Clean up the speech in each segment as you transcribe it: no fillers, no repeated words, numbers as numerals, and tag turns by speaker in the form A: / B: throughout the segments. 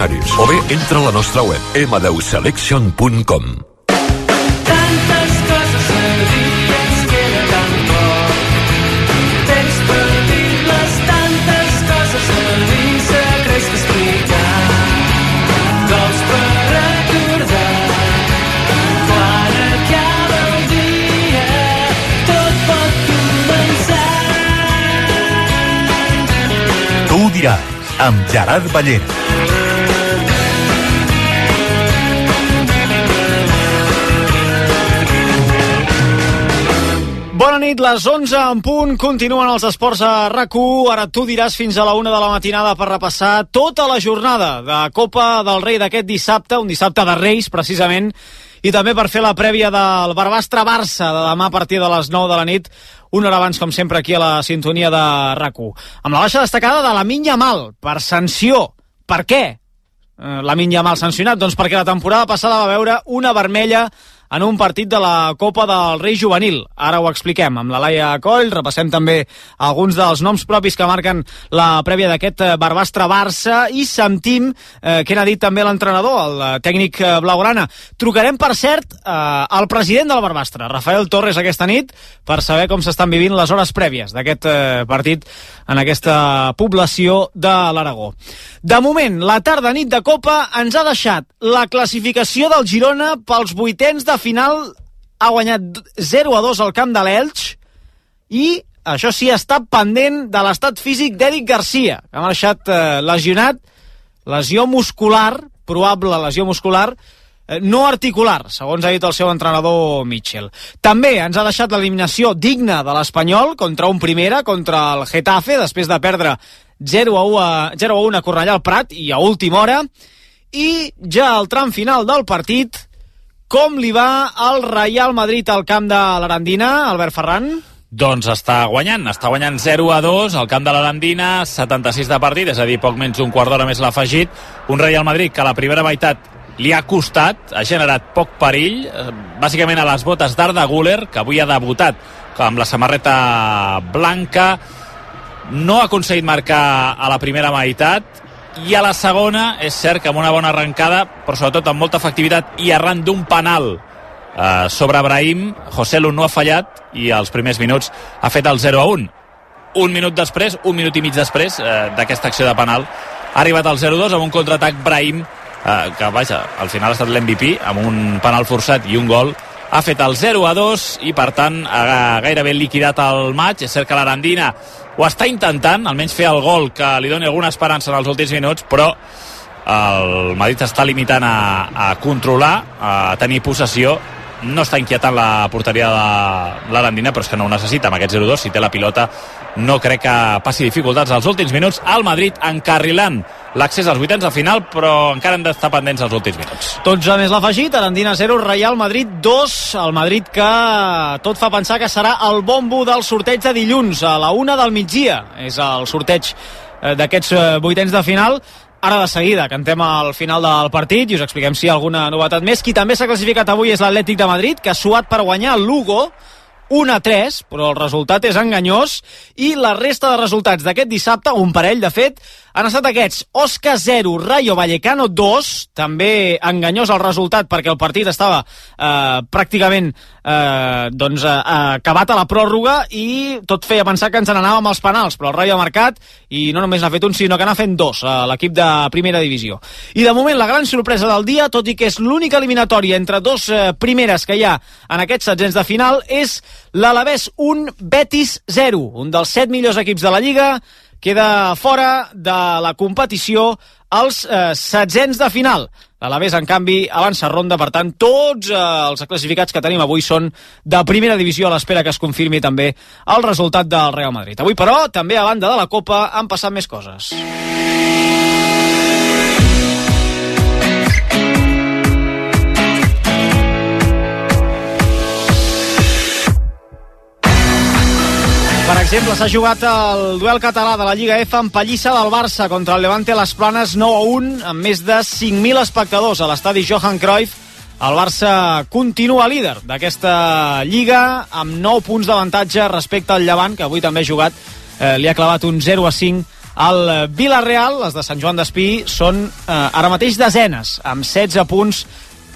A: O bé entra a la nostra web m10selection.com.
B: Tantes coses a dir que ens queda tan poc. Temps per dir-les, tantes coses a dir, secrets que explicar, cols per recordar. Quan acaba el dia, tot pot començar.
C: Tu ho diràs, amb Gerard Ballera.
D: Bona nit, les 11 en punt, continuen els esports a RAC1. Ara tu diràs fins a la 1 de la matinada per repassar tota la jornada de Copa del Rei d'aquest dissabte, un dissabte de Reis, precisament, i també per fer la prèvia del Barbastre-Barça de demà a partir de les 9 de la nit, una hora abans, com sempre, aquí a la sintonia de RAC1. Amb la baixa destacada de Lamine Yamal, per sanció. Per què Lamine Yamal sancionat? Doncs perquè la temporada passada va veure una vermella en un partit de la Copa del Rei Juvenil. Ara ho expliquem amb la Laia Coll, repassem també alguns dels noms propis que marquen la prèvia d'aquest Barbastre-Barça i sentim què n'ha dit també l'entrenador, el tècnic blaugrana. Trucarem, per cert, al president del Barbastre, Rafael Torres, aquesta nit, per saber com s'estan vivint les hores prèvies d'aquest partit en aquesta població de l'Aragó. De moment, la tarda-nit de Copa ens ha deixat la classificació del Girona pels vuitens de final. Ha guanyat 0-2 al camp de l'Elx i, això sí, està pendent de l'estat físic d'Eric Garcia, que ha marxat lesionat, lesió muscular, probable lesió muscular, no articular, segons ha dit el seu entrenador Mitchell. També ens ha deixat l'eliminació digna de l'Espanyol contra un Primera, contra el Getafe, després de perdre 0-1 a Cornellà al Prat i a última hora. I ja al tram final del partit, com li va al Real Madrid al camp de l'Arandina, Albert Ferran?
E: Doncs està guanyant 0-2 al camp de l'Arandina, 76 de partit, és a dir, poc menys d'un quart d'hora més l'ha afegit. Un Real Madrid que a la primera meitat li ha costat, ha generat poc perill, bàsicament a les botes d'Arda Güler, que avui ha debutat amb la samarreta blanca. No ha aconseguit marcar a la primera meitat, i a la segona és cert que amb una bona arrencada, però sobretot amb molta efectivitat i arran d'un penal sobre Brahim, Joselu no ha fallat i als primers minuts ha fet el 0-1. Un minut i mig després d'aquesta acció de penal ha arribat al 0-2 amb un contraatac Brahim, que vaja, al final ha estat l'MVP amb un penal forçat i un gol. Ha fet el 0-2 i per tant ha gairebé liquidat el maig. És cert que l'Arandina ho està intentant, almenys fer el gol que li doni alguna esperança en els últims minuts, però el Madrid està limitant a controlar, a tenir possessió. No està inquietant la porteria de l'Arandina, però és que no ho necessita amb aquest 0-2. Si té la pilota no crec que passi dificultats als últims minuts. El Madrid encarrilant l'accés als vuitens de final, però encara han d'estar pendents als últims minuts.
D: 12 més l'afegit, Arandina 0, Real Madrid 2. El Madrid que tot fa pensar que serà el bombo del sorteig de dilluns a la 1 del migdia. És el sorteig d'aquests vuitens de final. Ara de seguida cantem al final del partit i us expliquem si hi ha alguna novetat més. Qui també s'ha classificat avui és l'Atlètic de Madrid, que ha suat per guanyar el Lugo 1-3, però el resultat és enganyós, i la resta de resultats d'aquest dissabte, un parell de fet, han estat aquests: Osca 0, Rayo Vallecano 2, també enganyós el resultat perquè el partit estava pràcticament acabat a la pròrroga i tot feia pensar que ens n'anàvem als penals, però el Rayo ha marcat i no només n'ha fet un, sinó que n'ha fet dos a l'equip de primera divisió. I de moment la gran sorpresa del dia, tot i que és l'única eliminatòria entre dos primeres que hi ha en aquests setzents de final, és l'Alavés 1, Betis 0, un dels 7 millors equips de la Lliga. Queda fora de la competició als setzents de final. L'Alavés, en canvi, avança ronda, per tant, tots els classificats que tenim avui són de primera divisió, a l'espera que es confirmi també el resultat del Real Madrid. Avui, però, també a banda de la Copa, han passat més coses. Per exemple, s'ha jugat el duel català de la Lliga F en pallissa del Barça contra el Levante a les Planes 9-1, amb més de 5.000 espectadors a l'estadi Johan Cruyff. El Barça continua líder d'aquesta Lliga amb 9 punts d'avantatge respecte al Llevant, que avui també ha jugat, li ha clavat un 0-5 El Villarreal, les de Sant Joan d'Espí, són ara mateix desenes, amb 16 punts,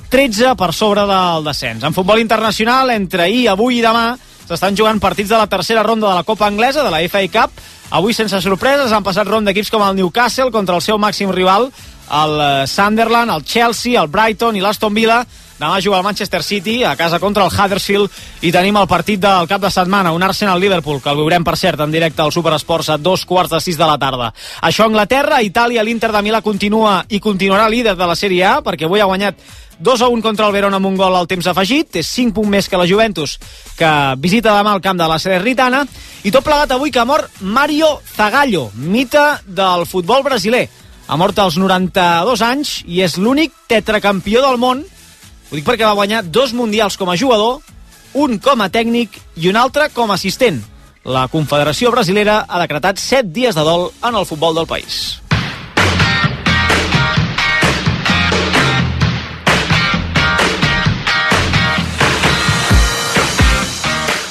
D: 13 per sobre del descens. En futbol internacional, entre ahir, avui i demà, s'estan jugant partits de la tercera ronda de la Copa Anglesa, de la FA Cup. Avui, sense sorpreses, han passat ronda equips com el Newcastle contra el seu màxim rival, el Sunderland, el Chelsea, el Brighton i l'Aston Villa. Demà juga el Manchester City a casa contra el Huddersfield i tenim el partit del cap de setmana, un Arsenal-Liverpool, que el veurem, per cert, en directe al Superesports a 2:45 de la tarda. Això a Anglaterra, Itàlia, l'Inter de Milà continua i continuarà líder de la Sèrie A, perquè avui ha guanyat 2-1 contra el Verona amb un gol al temps afegit, és 5 punts més que la Juventus, que visita demà el camp de la Salernitana, i tot plegat avui que ha mort Mario Zagallo, mite del futbol brasiler. Ha mort als 92 anys i és l'únic tetracampió del món. Ho dic perquè va guanyar 2 mundials com a jugador, un com a tècnic i un altre com a assistent. La Confederació Brasilera ha decretat 7 dies de dol en el futbol del país.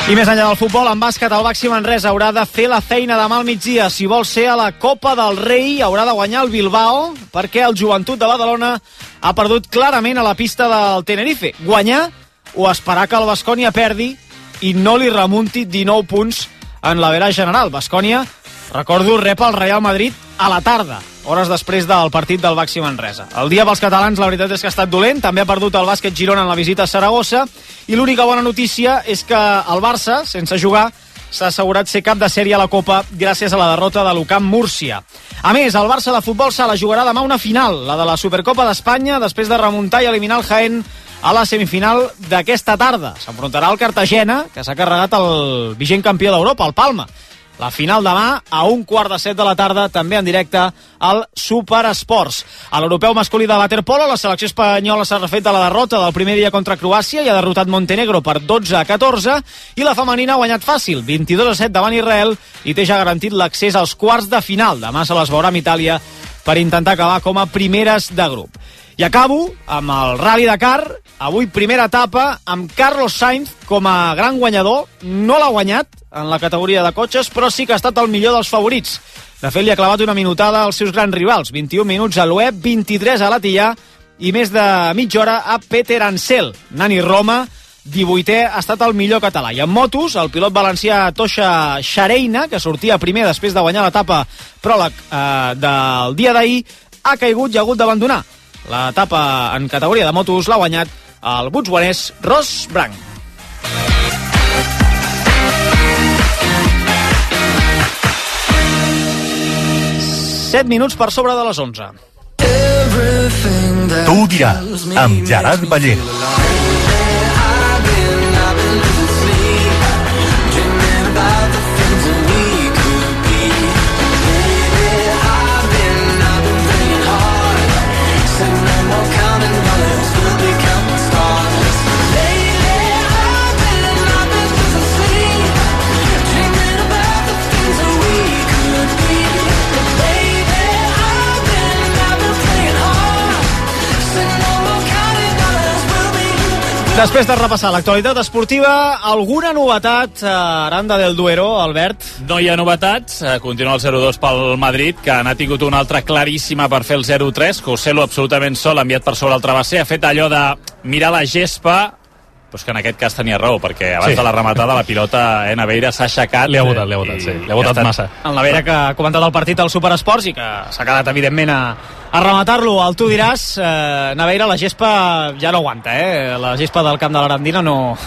D: I més enllà del futbol, en bàsquet, el Baxi Manresa haurà de fer la feina demà al migdia. Si vol ser a la Copa del Rei, haurà de guanyar el Bilbao, perquè el Joventut de Badalona ha perdut clarament a la pista del Tenerife. Guanyar o esperar que el Baskonia perdi i no li remunti 19 punts en l'average general. Baskonia, recordo, rep el Real Madrid a la tarda, hores després del partit del Baxi Manresa. El dia pels catalans, la veritat és que ha estat dolent. També ha perdut el bàsquet Girona en la visita a Saragossa. I l'única bona notícia és que el Barça, sense jugar, s'ha assegurat ser cap de sèrie a la Copa gràcies a la derrota de l'UCAM Múrcia. A més, el Barça de futbol sala jugarà demà una final, la de la Supercopa d'Espanya, després de remuntar i eliminar el Jaén a la semifinal d'aquesta tarda. S'enfrontarà al Cartagena, que s'ha carregat el vigent campió d'Europa, el Palma. La final demà a 6:45 de la tarda, també en directe al Superesports. A l'europeu masculí de waterpolo, la selecció espanyola s'ha refet de la derrota del primer dia contra Croàcia i ha derrotat Montenegro per 12-14, i la femenina ha guanyat fàcil, 22-7 davant Israel, i té ja garantit l'accés als quarts de final. Demà se les veurà amb Itàlia per intentar acabar com a primeres de grup. I acabo amb el Rally Dakar. Avui primera etapa amb Carlos Sainz com a gran guanyador. No l'ha guanyat en la categoria de cotxes, però sí que ha estat el millor dels favorits. De fet, li ha clavat una minutada als seus grans rivals. 21 minuts a Loeb, 23 a l'Atillà i més de mitja hora a Peter Ansel. Nani Roma, 18è, ha estat el millor català. I en motos, el pilot valencià Toixa Xareina, que sortia primer després de guanyar l'etapa pròleg del dia d'ahir, ha caigut i ha hagut d'abandonar. L'etapa en categoria de motos l'ha guanyat el botswanès Ross Branc. Set minuts per sobre de les 11.
C: Tu ho diràs, amb Gerard Ballera.
D: Després de repassar l'actualitat esportiva, alguna novetat a Aranda del Duero, Albert?
E: No hi ha novetats, continua el 0-2 pel Madrid, que n'ha tingut una altra claríssima per fer el 0-3, Joselu absolutament sol, enviat per sobre el travesser, ha fet allò de mirar la gespa, però és que en aquest cas tenia raó, perquè abans de la rematada la pilota Naveira s'ha aixecat.
F: Li ha votat, sí. Li ha votat massa.
D: En Naveira, que ha comentat el partit al Superesports i que s'ha quedat, evidentment, a rematar-lo. El tu diràs, Naveira, la gespa ja no aguanta, La gespa del camp de l'Arandina no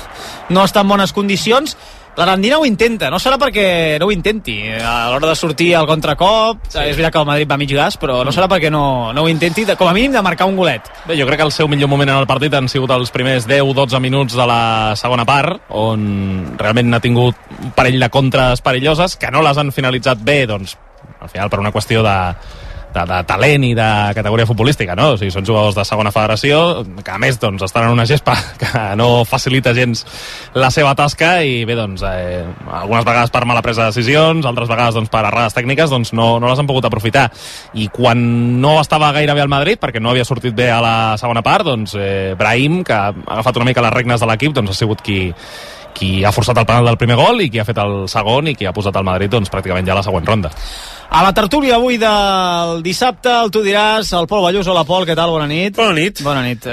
D: està en bones condicions. L'Arandina ho intenta, no serà perquè no ho intenti. A l'hora de sortir al contracop, és veritat que el Madrid va mig gas, però no serà perquè no ho intenti, com a mínim de marcar un golet.
F: Bé, jo crec que el seu millor moment en el partit han sigut els primers 10-12 minuts de la segona part, on realment n'ha tingut un parell de contres perilloses, que no les han finalitzat bé, doncs, al final per una qüestió de talent i de categoria futbolística, no? O sigui, són jugadors de segona federació, que a més doncs, estan en una gespa que no facilita gens la seva tasca i bé, doncs, algunes vegades per mala presa de decisions, altres vegades doncs, per errades tècniques, doncs no les han pogut aprofitar. I quan no estava gaire bé al Madrid, perquè no havia sortit bé a la segona part, doncs Brahim, que ha agafat una mica les regnes de l'equip, doncs ha sigut qui ha forçat el penal del primer gol i qui ha fet el segon i qui ha posat el Madrid doncs, pràcticament ja a la següent ronda.
D: A la tertúlia avui del dissabte, el tu diràs, el Pol Ballús. Hola, Pol, què tal? Bona nit.
G: Bona nit.
D: Bona nit.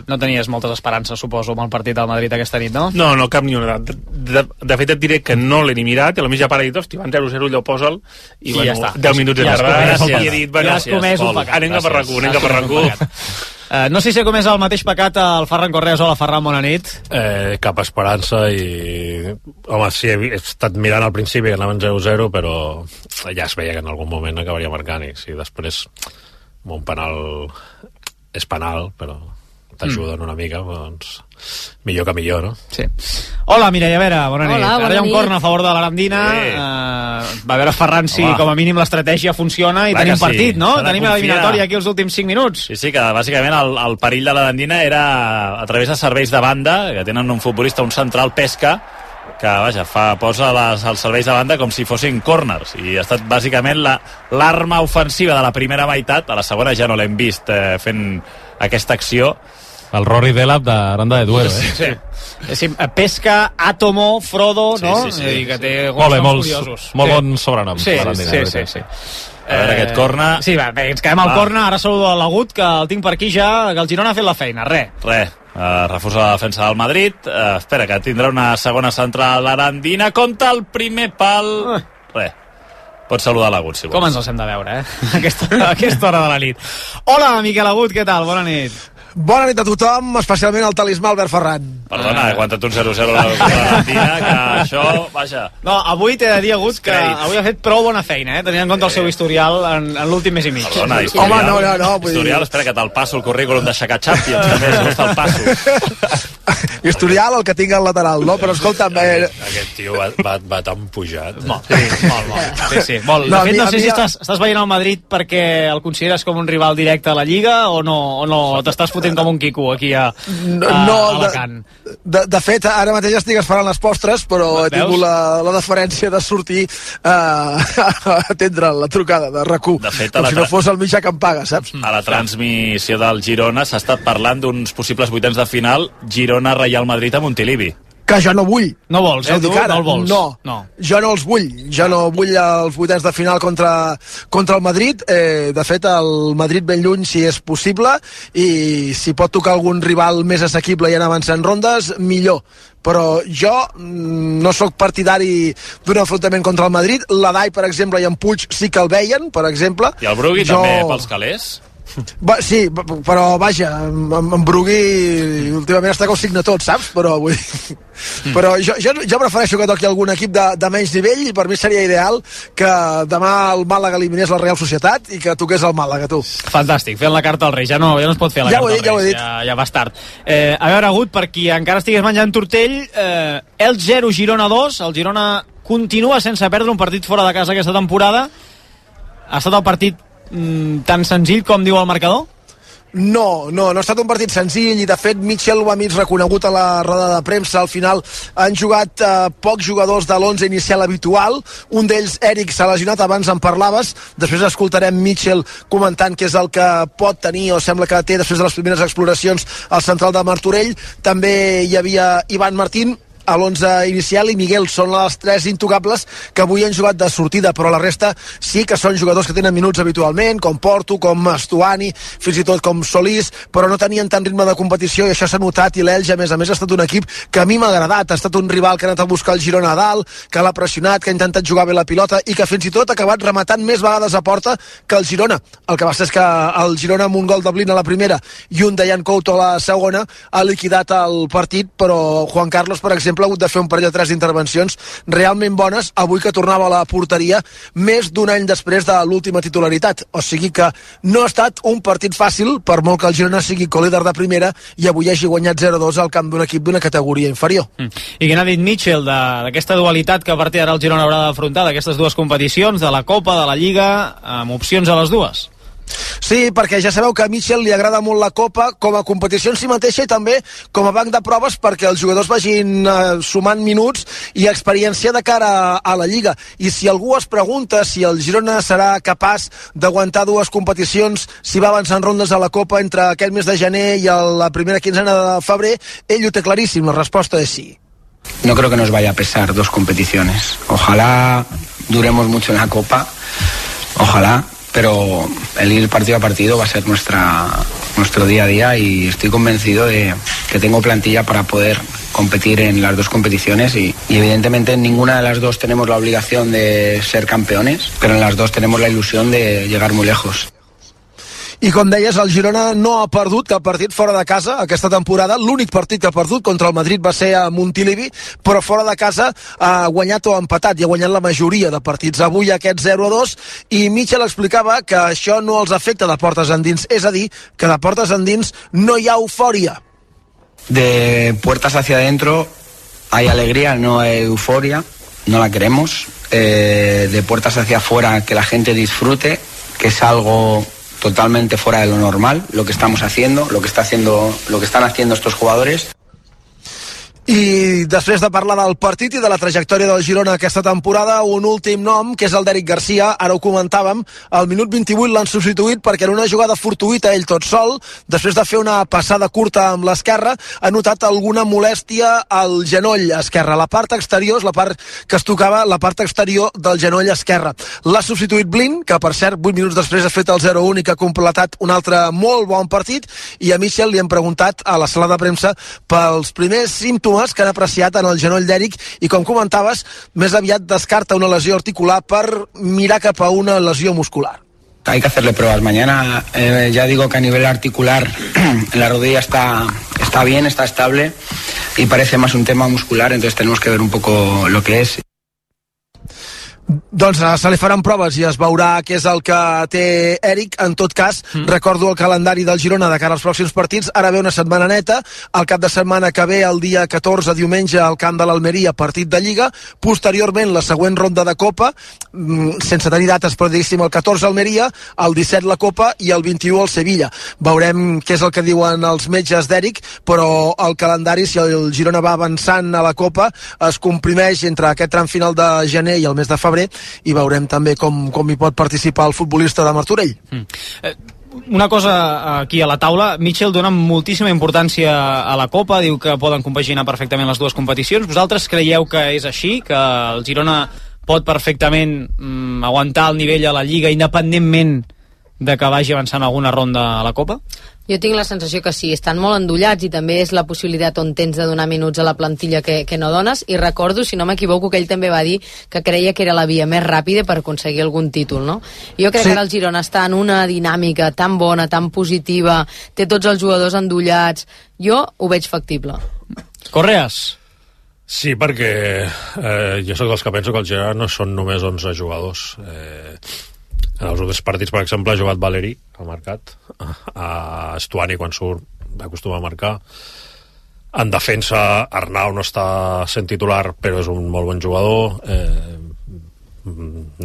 D: No tenies moltes esperances, suposo, amb el partit del Madrid aquesta nit, no?
G: No, cap ni una. De fet, et diré que no l'he ni mirat, i a la més ja para dir, hosti, van 0-0, allò posa'l, i bueno,
D: ja està.
G: 10 minuts de tardar, i he dit, bueno,
D: ja has comès un pecat.
G: anem cap a RAC1,
D: no sé si comés el mateix pecat el Ferran Correas. Hola, Ferran, bona nit.
H: Cap esperança i... Home, sí, he estat mirant al principi que anaven 0-0, però ja es veia que en algun moment acabaria marcant, i si després un penal és penal, però t'ajuden una mica, doncs millor que millor, no?
D: Sí. Hola, Mireia Vera, bona nit.
I: Hola, bona
D: Ara hi ha un
I: nit.
D: corna a favor de l'Arandina. Va a veure Ferran si com a mínim l'estratègia funciona i
E: Clar
D: tenim
E: que sí.
D: partit, no?
E: S'ha de
D: Tenim
E: confiar.
D: l'eliminatòria aquí els últims 5 minuts.
E: Sí, que bàsicament el perill de l'Arandina era a través de serveis de banda, que tenen un futbolista, un central, Pesca, que vaja, posa els serveis de banda com si fossin corners, i ha estat bàsicament l'arma ofensiva de la primera meitat. A la segona ja no l'hem vist fent aquesta acció.
F: El Rory Delap d'Aranda de Duero, eh?
D: Sí. Pesca, Atomo, Frodo, no?
E: Sí.
D: Que té
F: Molt bé,
D: noms curiosos.
F: molt bons sobrenoms.
D: Sí,
F: l'Arandina,
D: sí.
E: A veure, aquest corna...
D: Sí, va, bé, ens quedem al corna. Ara saludo a l'Agut, que el tinc per aquí ja, que el Girona ha fet la feina.
E: Refusa la defensa del Madrid. Espera, que tindrà una segona central l'Arandina. Compta el primer pal. Pots saludar l'Agut, si vols.
D: Com ens els hem de veure, a aquesta hora de la nit. Hola, Miquel Agut, què tal? Bona nit.
J: Bona nit a tothom, especialment al talismà Albert Ferran.
E: Perdona, he aguantat un 0-0 a l'Arandina, que això, vaja...
D: No, avui t'he de dir, Agut, que avui ha fet prou bona feina, tenint en compte el seu historial en l'últim mes i mig.
E: Perdona, historial.
J: Home, no.
E: Historial, espera, que te'l passo el currículum de Xaca Champions, també, si vols te'l passo.
J: Historial, el que tinc al lateral, no? Però escolta'm...
H: Aquest tio va tan pujat.
D: Molt. Sí. Molt. De fet, no sé si estàs veient el Madrid perquè el consideres com un rival directe a la Lliga o no t'estàs fotent com un quico aquí a Alacant.
J: De fet, ara mateix estic esperant les postres, però he tingut la deferència de sortir a atendre la trucada de RAC1, com si no fos el mitjà que em paga, saps?
E: A la transmissió del Girona s'ha estat parlant d'uns possibles vuitens de final Girona-Real Madrid a Montilivi.
J: Que jo no vull.
D: No vols, tu? No el vols?
J: No, jo no els vull. Jo no vull els vuitens de final contra el Madrid. De fet, el Madrid ben lluny, si és possible, i si pot tocar algun rival més assequible i anar avançant rondes, millor. Però jo no sóc partidari d'un enfrontament contra el Madrid. L'Adai, per exemple, i en Puig sí que el veien, per exemple.
E: I el Brugui també pels calés?
J: Sí, però vaja, en Brugui últimament està que ho signa tot, saps? Però jo prefereixo que toqui algun equip de menys nivell, i per mi seria ideal que demà el Màlaga eliminés la Real Societat i que toqués el Màlaga, tu.
D: Fantàstic, fent la carta al Rei, ja no es pot fer la carta al Rei, ja va tard. A veure, Agut, per qui encara estigués menjant tortell, el 0, Girona 2, el Girona continua sense perdre un partit fora de casa aquesta temporada. Ha estat el partit tan senzill com diu el marcador?
J: No ha estat un partit senzill, i de fet Mitchell ho ha mig reconegut a la roda de premsa. Al final han jugat pocs jugadors de l'11 inicial habitual, un d'ells, Eric, s'ha lesionat, abans en parlaves, després escoltarem Mitchell comentant què és el que pot tenir o sembla que té després de les primeres exploracions al central de Martorell. També hi havia Ivan Martín a l'11 inicial, i Miguel. Són les tres intocables que avui han jugat de sortida, però la resta sí que són jugadors que tenen minuts habitualment, com Porto, com Estuani, fins i tot com Solís, però no tenien tant ritme de competició, i això s'ha notat. I l'Elx, a més, ha estat un equip que a mi m'ha agradat. Ha estat un rival que ha anat a buscar el Girona a dalt, que l'ha pressionat, que ha intentat jugar bé la pilota, i que fins i tot ha acabat rematant més vegades a porta que el Girona. El que va ser és que el Girona, amb un gol de Blin a la primera i un de Jan Couto a la segona, ha liquidat el partit, però Juan Carlos, per exemple, ha hagut de fer un parell de 3 intervencions realment bones avui, que tornava a la porteria més d'un any després de l'última titularitat. O sigui que no ha estat un partit fàcil, per molt que el Girona sigui co-líder de primera i avui hagi guanyat 0-2 al camp d'un equip d'una categoria inferior.
D: I què n'ha dit Mitchell d'aquesta dualitat que a partir d'ara el Girona haurà d'afrontar, d'aquestes dues competicions, de la Copa, de la Lliga, amb opcions a les dues?
J: Sí, perquè ja sabeu que a Mitchell li agrada molt la Copa com a competició en si mateixa, i també com a banc de proves perquè els jugadors vagin sumant minuts i experiència de cara a la Lliga. I si algú es pregunta si el Girona serà capaç d'aguantar 2 competicions, si va avançar en rondes a la Copa entre aquest mes de gener i la primera quinzena de febrer, ell ho té claríssim, la resposta és sí.
K: No creo que nos vaya a pesar 2 competiciones. Ojalá duremos mucho en la Copa,
I: Ojalá, pero el ir partido a partido va a ser nuestro día a día y estoy convencido de que tengo plantilla para poder competir en las dos competiciones y evidentemente en ninguna de las dos tenemos la obligación de ser campeones, pero en las dos tenemos la ilusión de llegar muy lejos.
J: I com deies, el Girona no ha perdut cap partit fora de casa aquesta temporada. L'únic partit que ha perdut contra el Madrid va ser a Montilivi, però fora de casa ha guanyat o empatat i ha guanyat la majoria de partits. Avui aquest 0-2 i Mitchell explicava que això no els afecta de portes endins, és a dir, que de portes endins no hi ha eufòria.
I: De puertas hacia adentro hay alegría, no hay euforia, no la queremos. De puertas hacia afuera que la gente disfrute, que es algo totalmente fuera de lo normal, lo que estamos haciendo, lo que están haciendo estos jugadores.
J: I després de parlar del partit i de la trajectòria del Girona aquesta temporada, un últim nom, que és el d'Eric Garcia. Ara ho comentàvem, al minut 28 l'han substituït perquè en una jugada fortuïta ell tot sol, després de fer una passada curta amb l'esquerra, ha notat alguna molèstia al genoll esquerre. La part exterior és la part que es tocava, la part exterior del genoll esquerre. L'ha substituït Blin, que per cert 8 minuts després ha fet el 0-1 i que ha completat un altre molt bon partit, i a Mitchell li hem preguntat a la sala de premsa pels primers símptomes que han apreciat en el genoll d'Eric i, com comentaves, més aviat descarta una lesió articular per mirar cap a una lesió muscular.
I: Hay que hacerle pruebas mañana. Ya digo que a nivel articular la rodilla está bien, está estable y parece más un tema muscular, entonces tenemos que ver un poco lo que es.
J: Doncs se li faran proves i es veurà què és el que té Eric. En tot cas, recordo el calendari del Girona de cara als pròxims partits. Ara ve una setmana neta, el cap de setmana que ve, el dia 14, diumenge, al camp de l'Almeria, partit de Lliga. Posteriorment, la següent ronda de Copa, sense tenir dates, però diguéssim, el 14 Almeria, el 17 la Copa i el 21 el Sevilla. Veurem què és el que diuen els metges d'Eric, però el calendari, si el Girona va avançant a la Copa, es comprimeix entre aquest tram final de gener i el mes de febrer, i veurem també com hi pot participar el futbolista de Martorell.
D: Una cosa aquí a la taula, Mitchell dona moltíssima importància a la Copa, diu que poden compaginar perfectament les dues competicions. Vosaltres creieu que és així, que el Girona pot perfectament aguantar el nivell a la Lliga independentment de que vagi avançant alguna ronda a la Copa?
K: Jo tinc la sensació que sí, estan molt endollats i també és la possibilitat on tens de donar minuts a la plantilla que no dones, i recordo, si no m'equivoco, que ell també va dir que creia que era la via més ràpida per aconseguir algun títol, no? Jo crec que ara el Girona està en una dinàmica tan bona, tan positiva, té tots els jugadors endollats, jo ho veig factible.
D: Correas?
H: Sí, perquè jo sóc dels que penso que el Girona no són només 11 jugadors. En els últims partits, per exemple, ha jugat Valeri, ha marcat, a Estuani quan surt acostuma a marcar. En defensa, Arnau no està sent titular, però és un molt bon jugador.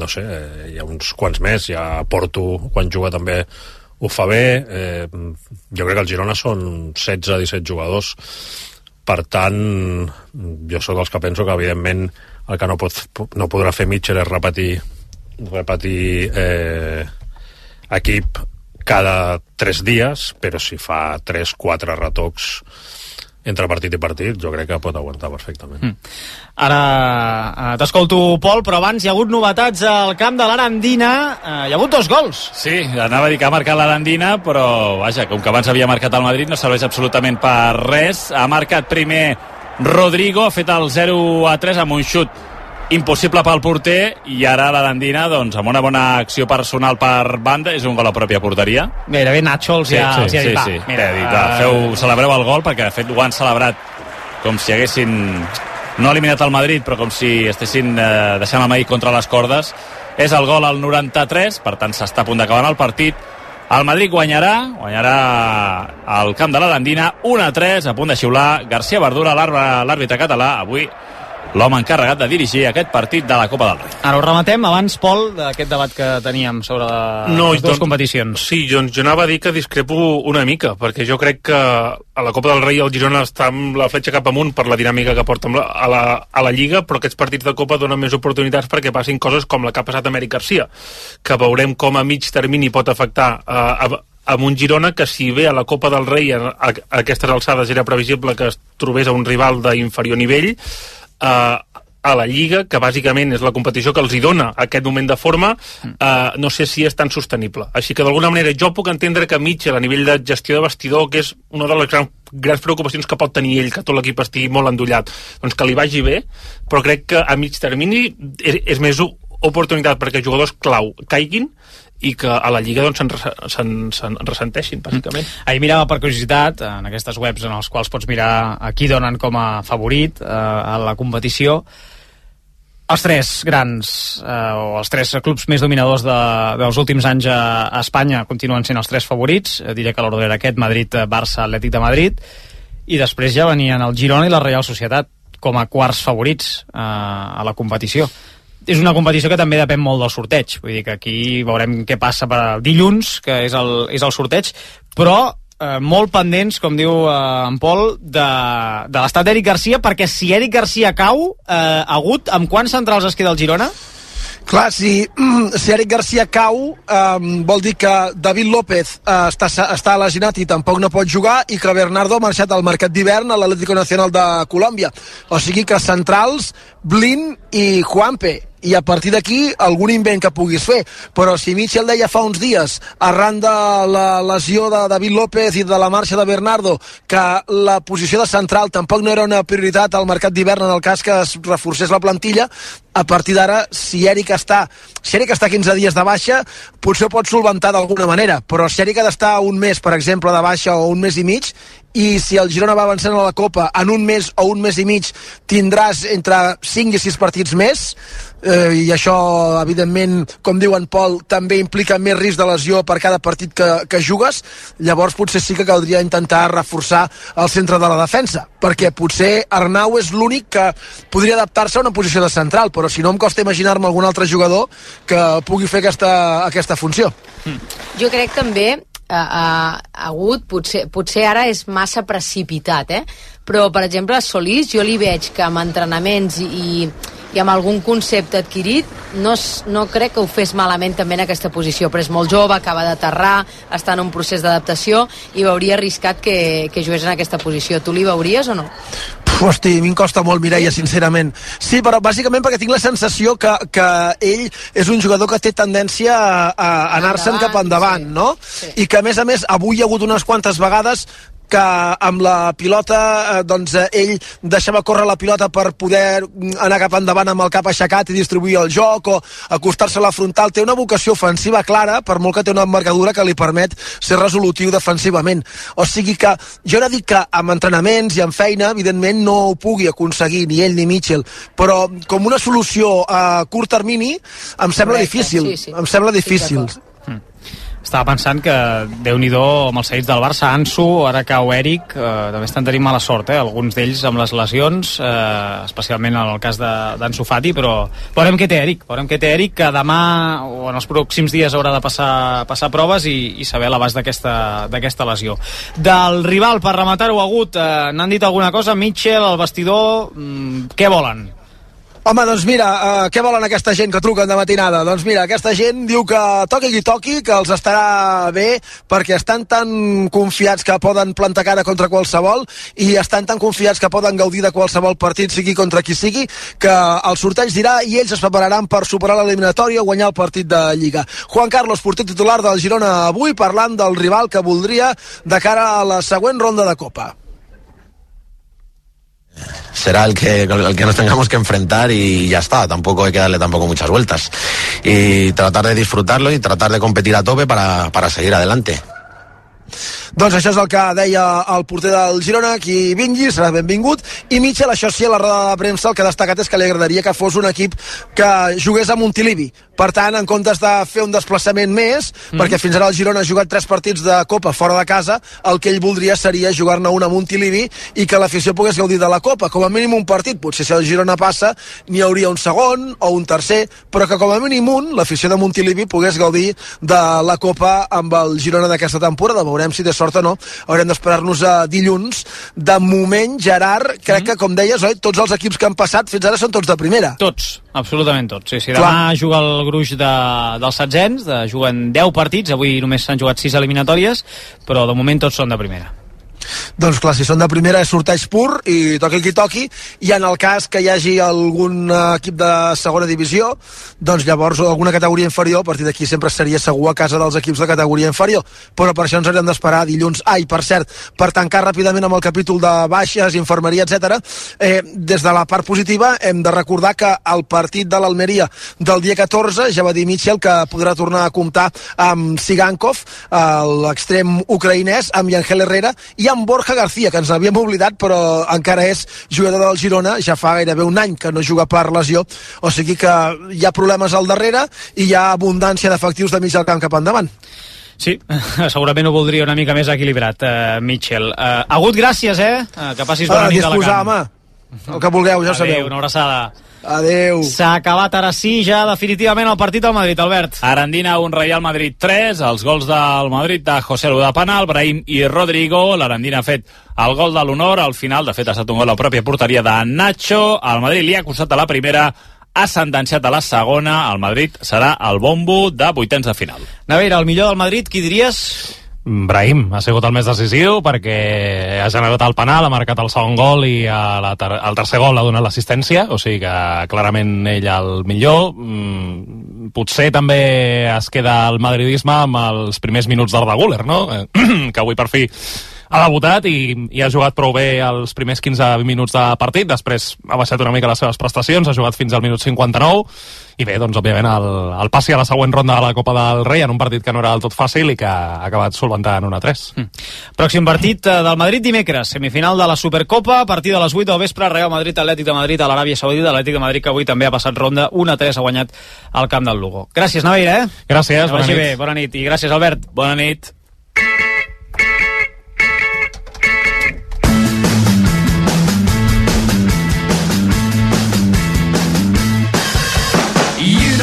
H: No sé, hi ha uns quants més, hi ha Porto, quan juga també ho fa bé. Jo crec que el Girona són 16-17 jugadors. Per tant, jo sóc dels que penso que, evidentment, el que no podrà fer Mitchell és repetir equip cada 3 dies, però si fa 3-4 retocs entre partit i partit, jo crec que pot aguantar perfectament.
D: Ara t'escolto, Pol, però abans hi ha hagut novetats al camp de l'Arandina. Hi ha hagut 2 gols.
E: Sí, anava a dir que ha marcat l'Arandina, però vaja, com que abans havia marcat el Madrid, no serveix absolutament per res. Ha marcat primer Rodrigo, ha fet el 0-3 amb un xut impossible pel porter, i ara l'Arandina, doncs, amb una bona acció personal per banda, és un gol a pròpia porteria.
D: Gairebé Nacho els ha dit,
E: celebreu el gol, perquè de fet ho han celebrat com si haguessin no eliminat el Madrid, però com si estessin deixant el Madrid contra les cordes. És el gol al 93, per tant s'està a punt d'acabar el partit. El Madrid guanyarà al camp de l'Arandina 1-3, a punt de xiular García Verdura, l'àrbitre català, avui l'home encarregat de dirigir aquest partit de la Copa del Rei.
D: Ara ho rematem abans, Pol, d'aquest debat que teníem sobre les dues competicions.
G: Sí, jo anava a dir que discrepo una mica, perquè jo crec que a la Copa del Rei el Girona està amb la fletxa cap amunt per la dinàmica que porta a la Lliga, però aquests partits de Copa donen més oportunitats perquè passin coses com la que ha passat a Eric Garcia, que veurem com a mig termini pot afectar amb un Girona que, si bé a la Copa del Rei a aquestes alçades era previsible que es trobés a un rival d'inferior nivell, a la Lliga, que bàsicament és la competició que els hi dona aquest moment de forma, no sé si és tan sostenible. Així que d'alguna manera jo puc entendre que Mitchell, a nivell de gestió de vestidor, que és una de les grans preocupacions que pot tenir ell, que tot l'equip estigui molt endollat, doncs que li vagi bé, però crec que a mig termini és més oportunitat perquè jugadors clau caiguin i que a la Lliga doncs, se'n ressenteixin, bàsicament.
D: Ahir mirava per curiositat en aquestes webs en les quals pots mirar a qui donen com a favorit a la competició. Els tres grans o els tres clubs més dominadors dels últims anys a Espanya continuen sent els tres favorits. Diré que l'ordre era aquest: Madrid, Barça, Atlètic de Madrid, i després ja venien el Girona i la Reial Societat com a quarts favorits a la competició. És una competició que també depèn molt del sorteig, vull dir que aquí veurem què passa per dilluns, que és el sorteig, però molt pendents, com diu en Pol, de l'estat d'Eric Garcia, perquè si Eric Garcia cau, Agut, amb quants centrals es queda el Girona?
J: Clar, si Eric Garcia cau, vol dir que David López està lesionat i tampoc no pot jugar, i que Bernardo ha marxat al mercat d'hivern a l'Atlético Nacional de Colòmbia. O sigui que centrals, Blin i Juanpe, i a partir d'aquí algun invent que puguis fer. Però si Mitchell deia fa uns dies, arran de la lesió de David López i de la marxa de Bernardo, que la posició de central tampoc no era una prioritat al mercat d'hivern en el cas que es reforcés la plantilla, a partir d'ara, si Eric està 15 dies de baixa, potser ho pot solventar d'alguna manera, però si Eric ha d'estar un mes, per exemple, de baixa o un mes i mig, i si el Girona va avançant a la Copa en un mes o un mes i mig tindràs entre 5 i 6 partits més, i això evidentment, com diu en Pol, també implica més risc de lesió per cada partit que jugues. Llavors potser sí que caldria intentar reforçar el centre de la defensa, perquè potser Arnau és l'únic que podria adaptar-se a una posició de central, però si no em costa imaginar-me algun altre jugador que pugui fer aquesta funció.
K: Jo crec també Agut potser ara és massa precipitat, però per exemple a Solís jo li veig que amb entrenaments i amb algun concepte adquirit no crec que ho fes malament també en aquesta posició, però és molt jove, acaba d'aterrar, està en un procés d'adaptació i veuria arriscat que jugués en aquesta posició. Tu li veuries o no?
J: Hosti, a mi em costa molt, Mireia, sincerament. Sí, però bàsicament perquè tinc la sensació que ell és un jugador que té tendència a anar-se'n cap endavant, no? Sí. I que, a més, avui hi ha hagut unes quantes vegades que amb la pilota ell deixava córrer la pilota per poder anar cap endavant amb el cap aixecat i distribuir el joc o acostar-se a la frontal. Té una vocació ofensiva clara, per molt que té una envergadura que li permet ser resolutiu defensivament. O sigui que jo no dic que amb entrenaments i amb feina evidentment no ho pugui aconseguir ni ell ni Mitchell, però com una solució a curt termini em sembla difícil. Sí. Em sembla difícil.
D: Estava pensant que Déu-n'hi-do amb els seguits del Barça, Ansu, ara cau Eric, també estan tenint mala sort, alguns d'ells amb les lesions, especialment en el cas d'Ansu Fati, però veurem què té Eric, que demà o en els pròxims dies haurà de passar proves i saber l'abast d'aquesta lesió. Del rival, per rematar-ho, Agut, n'han dit alguna cosa? Mitchell, el vestidor, què volen?
J: Home, doncs mira, què volen aquesta gent que truquen de matinada? Doncs mira, aquesta gent diu que toqui qui toqui, que els estarà bé, perquè estan tan confiats que poden plantar cara contra qualsevol i estan tan confiats que poden gaudir de qualsevol partit, sigui contra qui sigui, que el sorteig dirà i ells es prepararan per superar l'eliminatòria o guanyar el partit de Lliga. Juan Carlos, porter titular del Girona avui, parlant del rival que voldria de cara a la següent ronda de Copa.
L: Será el que nos tengamos que enfrentar y ya está, tampoco hay que darle tampoco muchas vueltas y tratar de disfrutarlo y tratar de competir a tope para seguir adelante.
J: Doncs això és el que deia el porter del Girona, qui vingui serà benvingut, i Mitchell, això sí, a la roda de premsa el que ha destacat és que li agradaria que fos un equip que jugués a Montilivi, per tant, en comptes de fer un desplaçament més, perquè fins ara el Girona ha jugat 3 partits de Copa fora de casa, el que ell voldria seria jugar-ne un a Montilivi i que l'afició pogués gaudir de la Copa, com a mínim un partit, potser si el Girona passa n'hi hauria un segon o un tercer, però que com a mínim l'afició de Montilivi pogués gaudir de la Copa amb el Girona d'aquesta temporada. Veurem si té sort o no, haurem d'esperar-nos a dilluns. De moment, Gerard, crec que, com deies, oi, tots els equips que han passat fins ara són tots de primera.
D: Tots, absolutament tots. Sí, demà juga el gruix dels setzents, juguen 10 partits, avui només s'han jugat 6 eliminatòries, però de moment tots són de primera.
J: doncs clar, si són de primera és sorteig pur i toqui qui toqui, i en el cas que hi hagi algun equip de segona divisió, doncs llavors alguna categoria inferior, a partir d'aquí sempre seria segur a casa dels equips de categoria inferior, però per això ens hauríem d'esperar dilluns. Per cert, per tancar ràpidament amb el capítol de baixes, infermeria, etc. Des de la part positiva hem de recordar que el partit de l'Almeria del dia 14 ja va dir Mitchell que podrà tornar a comptar amb Sigankov, l'extrem ucraïnès, amb Yangel Herrera i amb Borja García, que ens havíem oblidat però encara és jugador del Girona, ja fa gairebé un any que no juga per lesió, o sigui que hi ha problemes al darrere i hi ha abundància d'efectius de mig al camp cap endavant.
D: Sí, segurament ho voldria una mica més equilibrat, Mitchell. Agut, gràcies, que passis bona nit a la
J: disposar, home, el que vulgueu, ja ho sabeu.
D: Adéu, una abraçada.
J: Adéu.
D: S'ha acabat ara sí ja definitivament el partit del Madrid, Albert.
E: Arandina 1, Real Madrid 3, els gols del Madrid de José Lu de penal, Brahim i Rodrigo. L'Arandina ha fet el gol de l'honor al final, de fet ha estat un gol a la pròpia porteria de Nacho. El Madrid li ha costat a la primera, ha sentenciat a la segona. El Madrid serà el bombo de vuitens de final.
D: Naveira, el millor del Madrid, qui diries?
F: Brahim ha sigut el més decisiu perquè ha generat el penal, ha marcat el segon gol i el tercer gol ha donat l'assistència, o sigui que clarament ell el millor. Potser també es queda el madridisme amb els primers minuts d'Arda Güler, no? Que avui per fi ha debutat i ha jugat prou bé els primers 15 minuts de partit, després ha baixat una mica les seves prestacions, ha jugat fins al minut 59, i bé, doncs òbviament el passi a la següent ronda de la Copa del Rei en un partit que no era del tot fàcil i que ha acabat solventant 1-3.
D: Pròxim partit del Madrid dimecres, semifinal de la Supercopa, a partir de les 8 del vespre, Real Madrid, Atlètic de Madrid a l'Aràbia Saudita, Atlètic de Madrid que avui també ha passat ronda, 1-3 ha guanyat al camp del Lugo. Gràcies, Naveira,
F: Gràcies, bona nit.
D: Bé, bona nit. I gràcies, Albert.
E: Bona nit.
D: You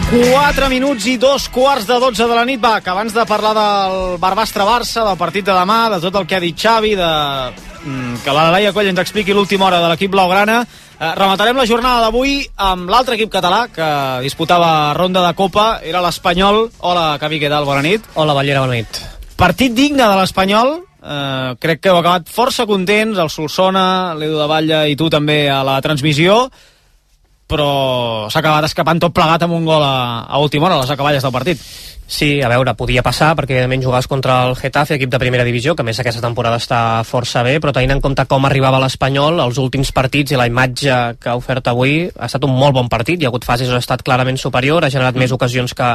D: 4 minuts i 2:15 de la nit. Va, que abans de parlar del Barbastre-Barça, del partit de demà, de tot el que ha dit Xavi, que la Laia Coll ens expliqui l'última hora de l'equip blaugrana, rematarem la jornada d'avui amb l'altre equip català que disputava ronda de Copa, era l'Espanyol. Hola, Cavi, què tal? Bona nit.
M: Hola, Ballera, bona nit.
D: Partit digne de l'Espanyol, crec que heu acabat força contents, el Solsona, l'Edu de Batlle i tu també a la transmissió, però s'ha acabat escapant tot plegat amb un gol a última hora, a les acaballes del partit.
M: Sí, a veure, podia passar perquè evidentment jugaves contra el Getafe, equip de primera divisió, que a més aquesta temporada està força bé, però tenint en compte com arribava l'Espanyol, els últims partits i la imatge que ha ofert avui, ha estat un molt bon partit, hi ha hagut fases on ha estat clarament superior, ha generat més ocasions que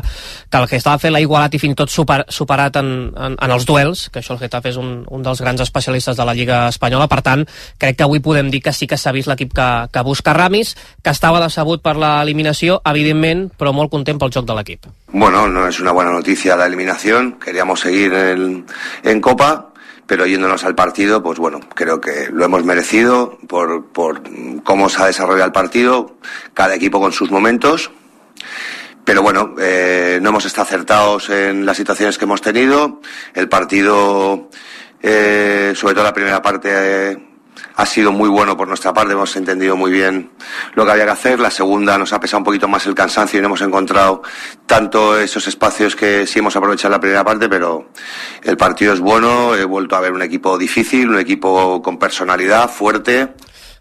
M: el Getafe, l'ha igualat i fins i tot superat en els duels, que això el Getafe és un dels grans especialistes de la Lliga Espanyola, per tant, crec que avui podem dir que sí que s'ha vist l'equip que busca Ramis, que estava decebut per l'eliminació, evidentment, però molt content pel joc de l'equip.
N: Bueno, no es una buena noticia la eliminación, queríamos seguir en Copa, pero yéndonos al partido, pues bueno, creo que lo hemos merecido por cómo se ha desarrollado el partido, cada equipo con sus momentos, pero bueno, no hemos estado acertados en las situaciones que hemos tenido, el partido, sobre todo la primera parte, ha sido muy bueno por nuestra parte, hemos entendido muy bien lo que había que hacer. La segunda nos ha pesado un poquito más el cansancio y no hemos encontrado tanto esos espacios que sí hemos aprovechado en la primera parte, pero el partido es bueno, he vuelto a ver un equipo difícil, un equipo con personalidad, fuerte.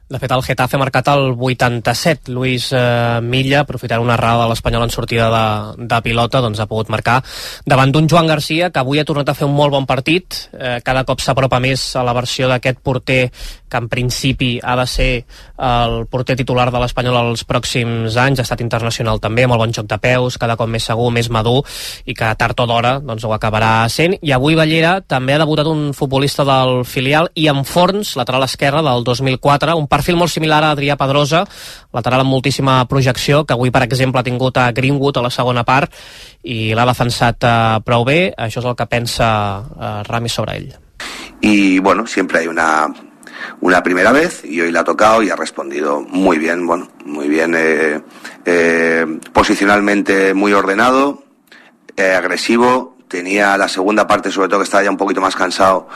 M: De fet, el Getafe ha marcat el 87. Luis Milla, aprofitant una errada de l'Espanyol en sortida de pilota, doncs ha pogut marcar davant d'un Joan Garcia, que avui ha tornat a fer un molt bon partit. Cada cop s'apropa més a la versió d'aquest porter, que en principi ha de ser el porter titular de l'Espanyol els pròxims anys. Ha estat internacional també, amb el bon joc de peus, cada cop més segur, més madur, i que tard o d'hora doncs, ho acabarà sent. I avui, Ballera, també ha debutat un futbolista del filial, Ian Forns, lateral esquerre del 2004, un perfil molt similar a Adrià Pedrosa, lateral amb moltíssima projecció, que avui, per exemple, ha tingut a Greenwood a la segona part i l'ha defensat prou bé. Això és el que pensa Ramis sobre ell.
N: Y bueno, siempre hay una primera vez y hoy la ha tocado y ha respondido muy bien, bueno, muy bien, posicionalmente muy ordenado, agresivo. Tenía la segunda parte, sobre todo que estaba ya un poquito más cansado,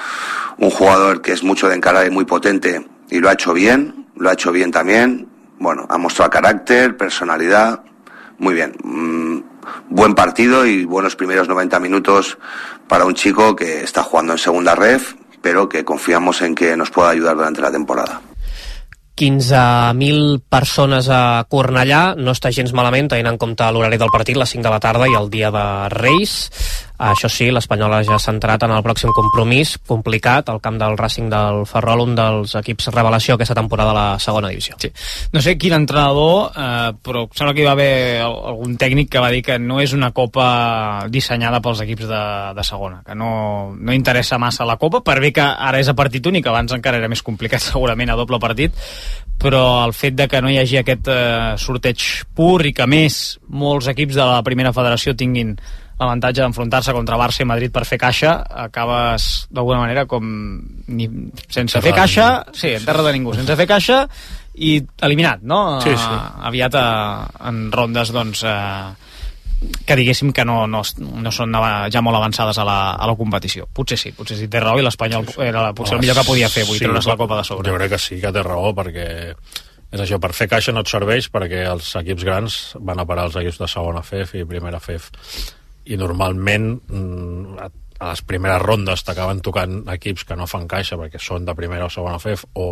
N: un jugador que es mucho de encarar y muy potente, y lo ha hecho bien también. Bueno, ha mostrado carácter, personalidad, muy bien. buen partido y buenos primeros 90 minutos para un chico que está jugando en segunda ref, pero que confiamos en que nos pueda ayudar durante la temporada.
M: 15.000 persones a Cornellà, no està gens malament tenint en compte l'horari del partit, les 5 de la tarda i el dia de Reis. Això sí, l'Espanyol ja s'ha centrat en el pròxim compromís complicat, al camp del Racing del Ferrol, un dels equips revelació aquesta temporada a la segona divisió.
D: Sí. No sé quin entrenador, però sembla que hi va haver algun tècnic que va dir que no és una copa dissenyada pels equips de segona, que no interessa massa la copa, per bé que ara és a partit únic, abans encara era més complicat segurament a doble partit, però el fet de que no hi hagi aquest sorteig pur i que més molts equips de la primera federació tinguin l'avantatge d'enfrontar-se contra Barça i Madrid per fer caixa, acabes d'alguna manera com sense fer caixa, sí, en terra de ningú, sense fer caixa i eliminat, no?
G: Sí, sí.
D: Aviat en rondes, doncs, que diguéssim que no són ja molt avançades a la competició. Potser sí té raó i l'Espanyol era potser el millor que podia fer, vull treure's la copa de sobre.
H: Jo crec que sí que té raó, perquè és això, per fer caixa no et serveix, perquè els equips grans van a parar els equips de segona FEF i primera FEF, i normalment a les primeres rondes t'acaben tocant equips que no fan caixa perquè són de primera o segona FEF o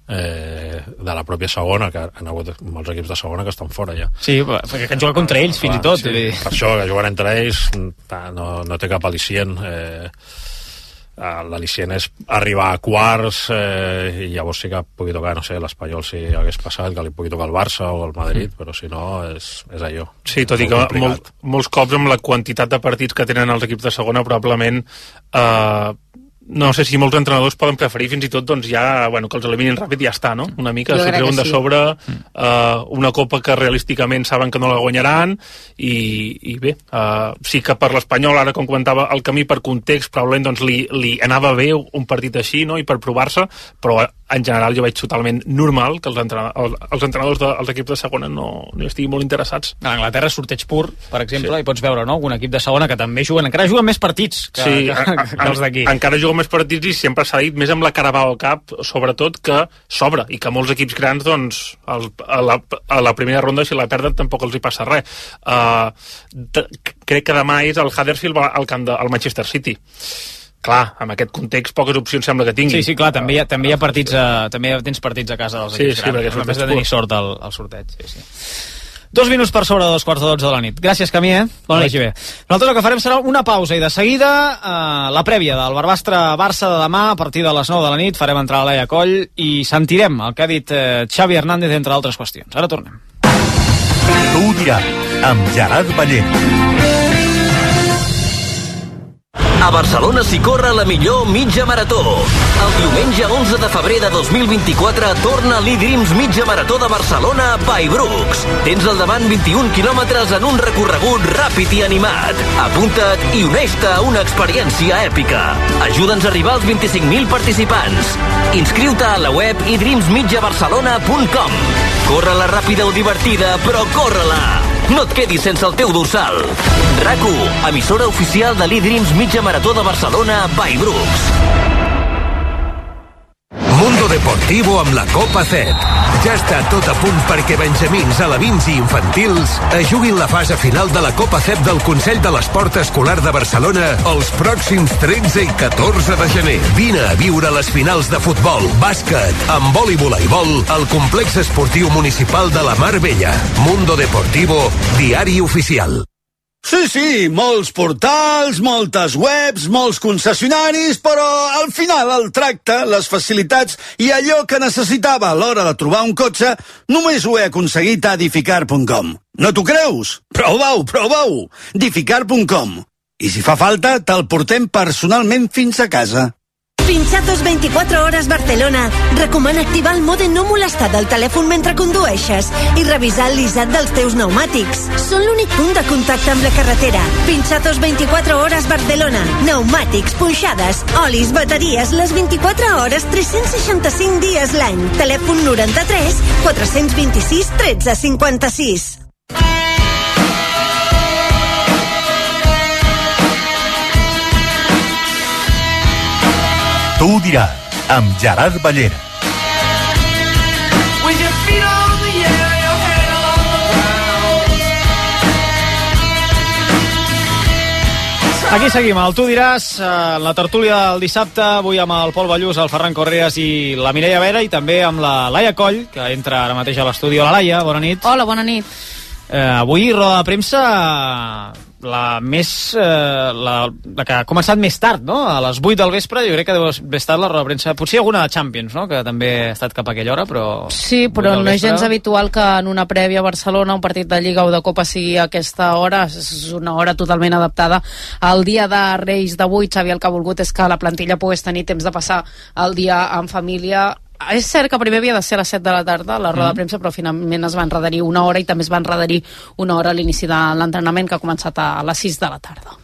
H: de la pròpia segona, que han hagut molts equips de segona que estan fora ja.
D: Sí, perquè han jugat contra ells fins i tot.
H: Sí, per això que juguen entre ells no té cap al·licient. L'al·licient és arribar a quarts i llavors sí que pugui tocar, no sé, l'Espanyol si hagués passat, que li pugui tocar el Barça o el Madrid, però si no és allò.
G: Sí, tot i que molts cops amb la quantitat de partits que tenen els equips de segona probablement no sé si molts entrenadors poden preferir fins i tot doncs ja, bueno, que els eliminin ràpid i ja està, no? Una mica, s'ho treuen de sobre una copa que realísticament saben que no la guanyaran i bé, sí que per l'Espanyol, ara com comentava, el camí per context probablement doncs li anava bé un partit així, no? I per provar-se, però en general jo veig totalment normal que els entrenadors dels equips de segona no estiguin molt interessats.
D: A Anglaterra sorteig pur, per exemple, i pots veure, no?, algun equip de segona que també encara juguen més partits que els d'aquí.
G: Encara juguen més partits i sempre s'ha dit, més amb la Carabao Cup, sobretot, que s'obre i que molts equips grans, doncs, a la primera ronda, si la perden, tampoc els hi passa res. Crec que demà és el Huddersfield al camp del Manchester City. Clar, amb aquest context poques opcions sembla que tingui.
D: Sí, clar, també hi ha partits, també tens partits a casa dels equips grans, només de tenir sort al sorteig. Sí. 2 minuts per sobre de 11:45 de la nit. Gràcies, Camí, Bona nit. Bé. Nosaltres el que farem serà una pausa i de seguida la prèvia del Barbastre-Barça de demà a partir de les 9 de la nit. Farem entrar a Laia Coll i sentirem el que ha dit Xavi Hernández, entre altres qüestions. Ara tornem.
C: Tu ho diràs, amb Gerard Ballent.
O: A Barcelona s'hi corre la millor mitja marató. El diumenge 11 de febrer de 2024 torna l'E-Dreams Mitja Marató de Barcelona by Brooks. Tens al davant 21 quilòmetres en un recorregut ràpid i animat. Apunta't i uneix-te a una experiència èpica. Ajuda'ns a arribar als 25.000 participants. Inscriu-te a la web edreamsmitjabarcelona.com. Corre-la ràpida o divertida, però corre-la! No et quedis sense el teu dorsal. RAC1, emissora oficial de l'E-Dreams Mitja Marató de Barcelona by Brooks.
P: Mundo Deportivo amb la Copa CEP. Ja està tot a punt perquè benjamins, alevins i infantils juguin la fase final de la Copa CEP del Consell de l'Esport Escolar de Barcelona els pròxims 13 i 14 de gener. Vine a viure les finals de futbol, bàsquet, handbol i voleibol al Complex Esportiu Municipal de la Mar Bella. Mundo Deportivo, diari oficial.
Q: Sí, molts portals, moltes webs, molts concessionaris, però al final el tracte, les facilitats i allò que necessitava a l'hora de trobar un cotxe només ho he aconseguit a Edificar.com. No t'ho creus? Prova-ho! Edificar.com. I si fa falta, te'l portem personalment fins a casa.
R: Pinchatos 24 Horas Barcelona recomana activar el mode no molestar del telèfon mentre condueixes i revisar el lissat dels teus pneumàtics. Són l'únic punt de contacte amb la carretera. Pinchatos 24 Horas Barcelona. Pneumàtics, punxades, olis, bateries, les 24 hores, 365 dies l'any. Telèfon 93 426 13 56.
C: Tu ho diràs, amb Gerard Ballera.
D: Aquí seguim, el Tu diràs, la tertúlia del dissabte, avui amb el Pol Ballús, el Ferran Correas i la Mireia Vera, i també amb la Laia Coll, que entra ara mateix a l'estudi. Hola, Laia, bona nit.
S: Hola, bona nit.
D: Avui, roda de premsa, la que ha començat més tard, no? A les 8 del vespre, jo crec que deu haver estat la roda de premsa, potser alguna de Champions, no? Que també ha estat cap a aquella hora, però...
S: Sí, però no és gens habitual que en una prèvia a Barcelona un partit de Lliga o de Copa sigui a aquesta hora. És una hora totalment adaptada al dia de Reis d'avui. Xavi el que ha volgut és que la plantilla pogués tenir temps de passar el dia en família. És cert que primer havia de ser a les 7 de la tarda la roda de premsa, però finalment es va endarrerir una hora i també es va endarrerir una hora a l'inici de l'entrenament, que ha començat a les 6 de la tarda.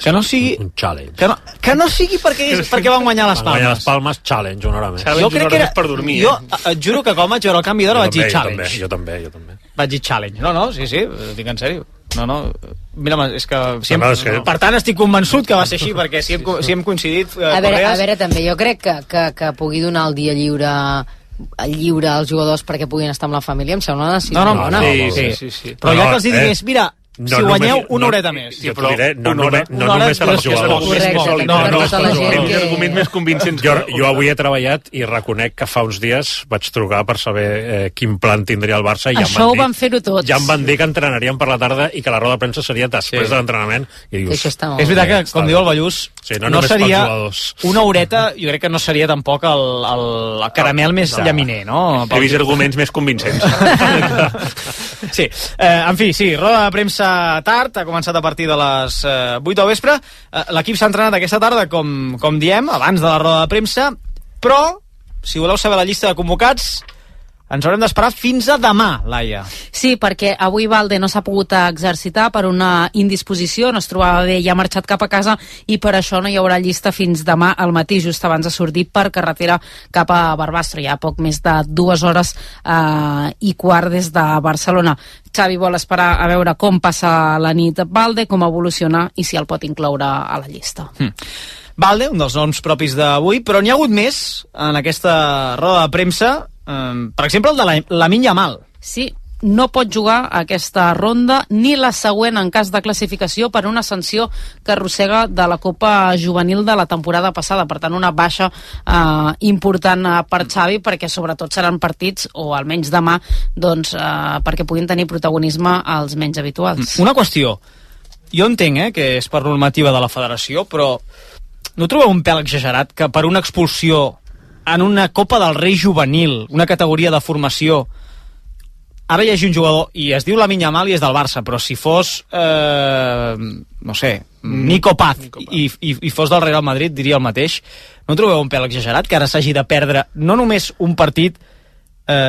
D: Que no sigui...
H: Un challenge.
D: Que no sigui perquè van guanyar les Palmes.
H: Van guanyar les Palmes, challenge, una hora més.
D: Jo crec que era... per dormir, jo et juro que quan vaig veure el canvi d'hora vaig dir challenge.
H: Jo també.
D: Vaig dir challenge. No, sí, dic en sèrio. No, mira, és que... Per tant, estic convençut que va ser així, perquè si hem coincidit...
K: A veure, també, jo crec que pugui donar el dia lliure als jugadors perquè puguin estar amb la família, em sembla una decisió bona.
D: Sí. Però ja que els digués, mira, si guanyeu una horeta més.
H: Jo t'ho diré, no només per als jugadors.
G: No, els arguments més convincents.
H: Jo avui he treballat i reconec que fa uns dies vaig trucar per saber quin plan tindria el Barça i
S: això ho van fer-ho tots.
H: Ja em van dir que entrenarien per la tarda i que la roda de premsa seria després de l'entrenament.
D: És veritat que, com diu el Ballús, no seria una horeta, jo crec que no seria tampoc el caramel més llaminer, no?
G: He vist arguments més convincents.
D: Sí, en fi, roda de premsa tard, ha començat a partir de les 8 del vespre. L'equip s'ha entrenat aquesta tarda, com diem, abans de la roda de premsa, però, si voleu saber la llista de convocats, ens haurem d'esperar fins a demà, Laia.
S: Sí, perquè avui Valde no s'ha pogut exercitar per una indisposició, no es trobava bé i ha marxat cap a casa, i per això no hi haurà llista fins demà al matí, just abans de sortir per carretera cap a Barbastro. Hi ha poc més de 2 hores i quart des de Barcelona. Xavi vol esperar a veure com passa la nit Valde, com evoluciona i si el pot incloure a la llista.
D: Valde, un dels noms propis d'avui, però n'hi ha hagut més en aquesta roda de premsa. Per exemple, el de Lamine Yamal.
S: Sí, no pot jugar aquesta ronda ni la següent en cas de classificació per una sanció que arrossega de la Copa Juvenil de la temporada passada. Per tant, una baixa important per Xavi, perquè sobretot seran partits, o almenys demà, doncs, perquè puguin tenir protagonisme als menys habituals.
D: Una qüestió. Jo entenc que és per normativa de la federació, però no trobeu un pèl exagerat que per una expulsió en una Copa del Rei juvenil, una categoria de formació, ara hi hagi un jugador, i es diu Lamine Yamal i és del Barça, però si fos, no sé, Nico Paz, i fos del Real Madrid, diria el mateix. No trobeu un pèl exagerat que ara s'hagi de perdre no només un partit,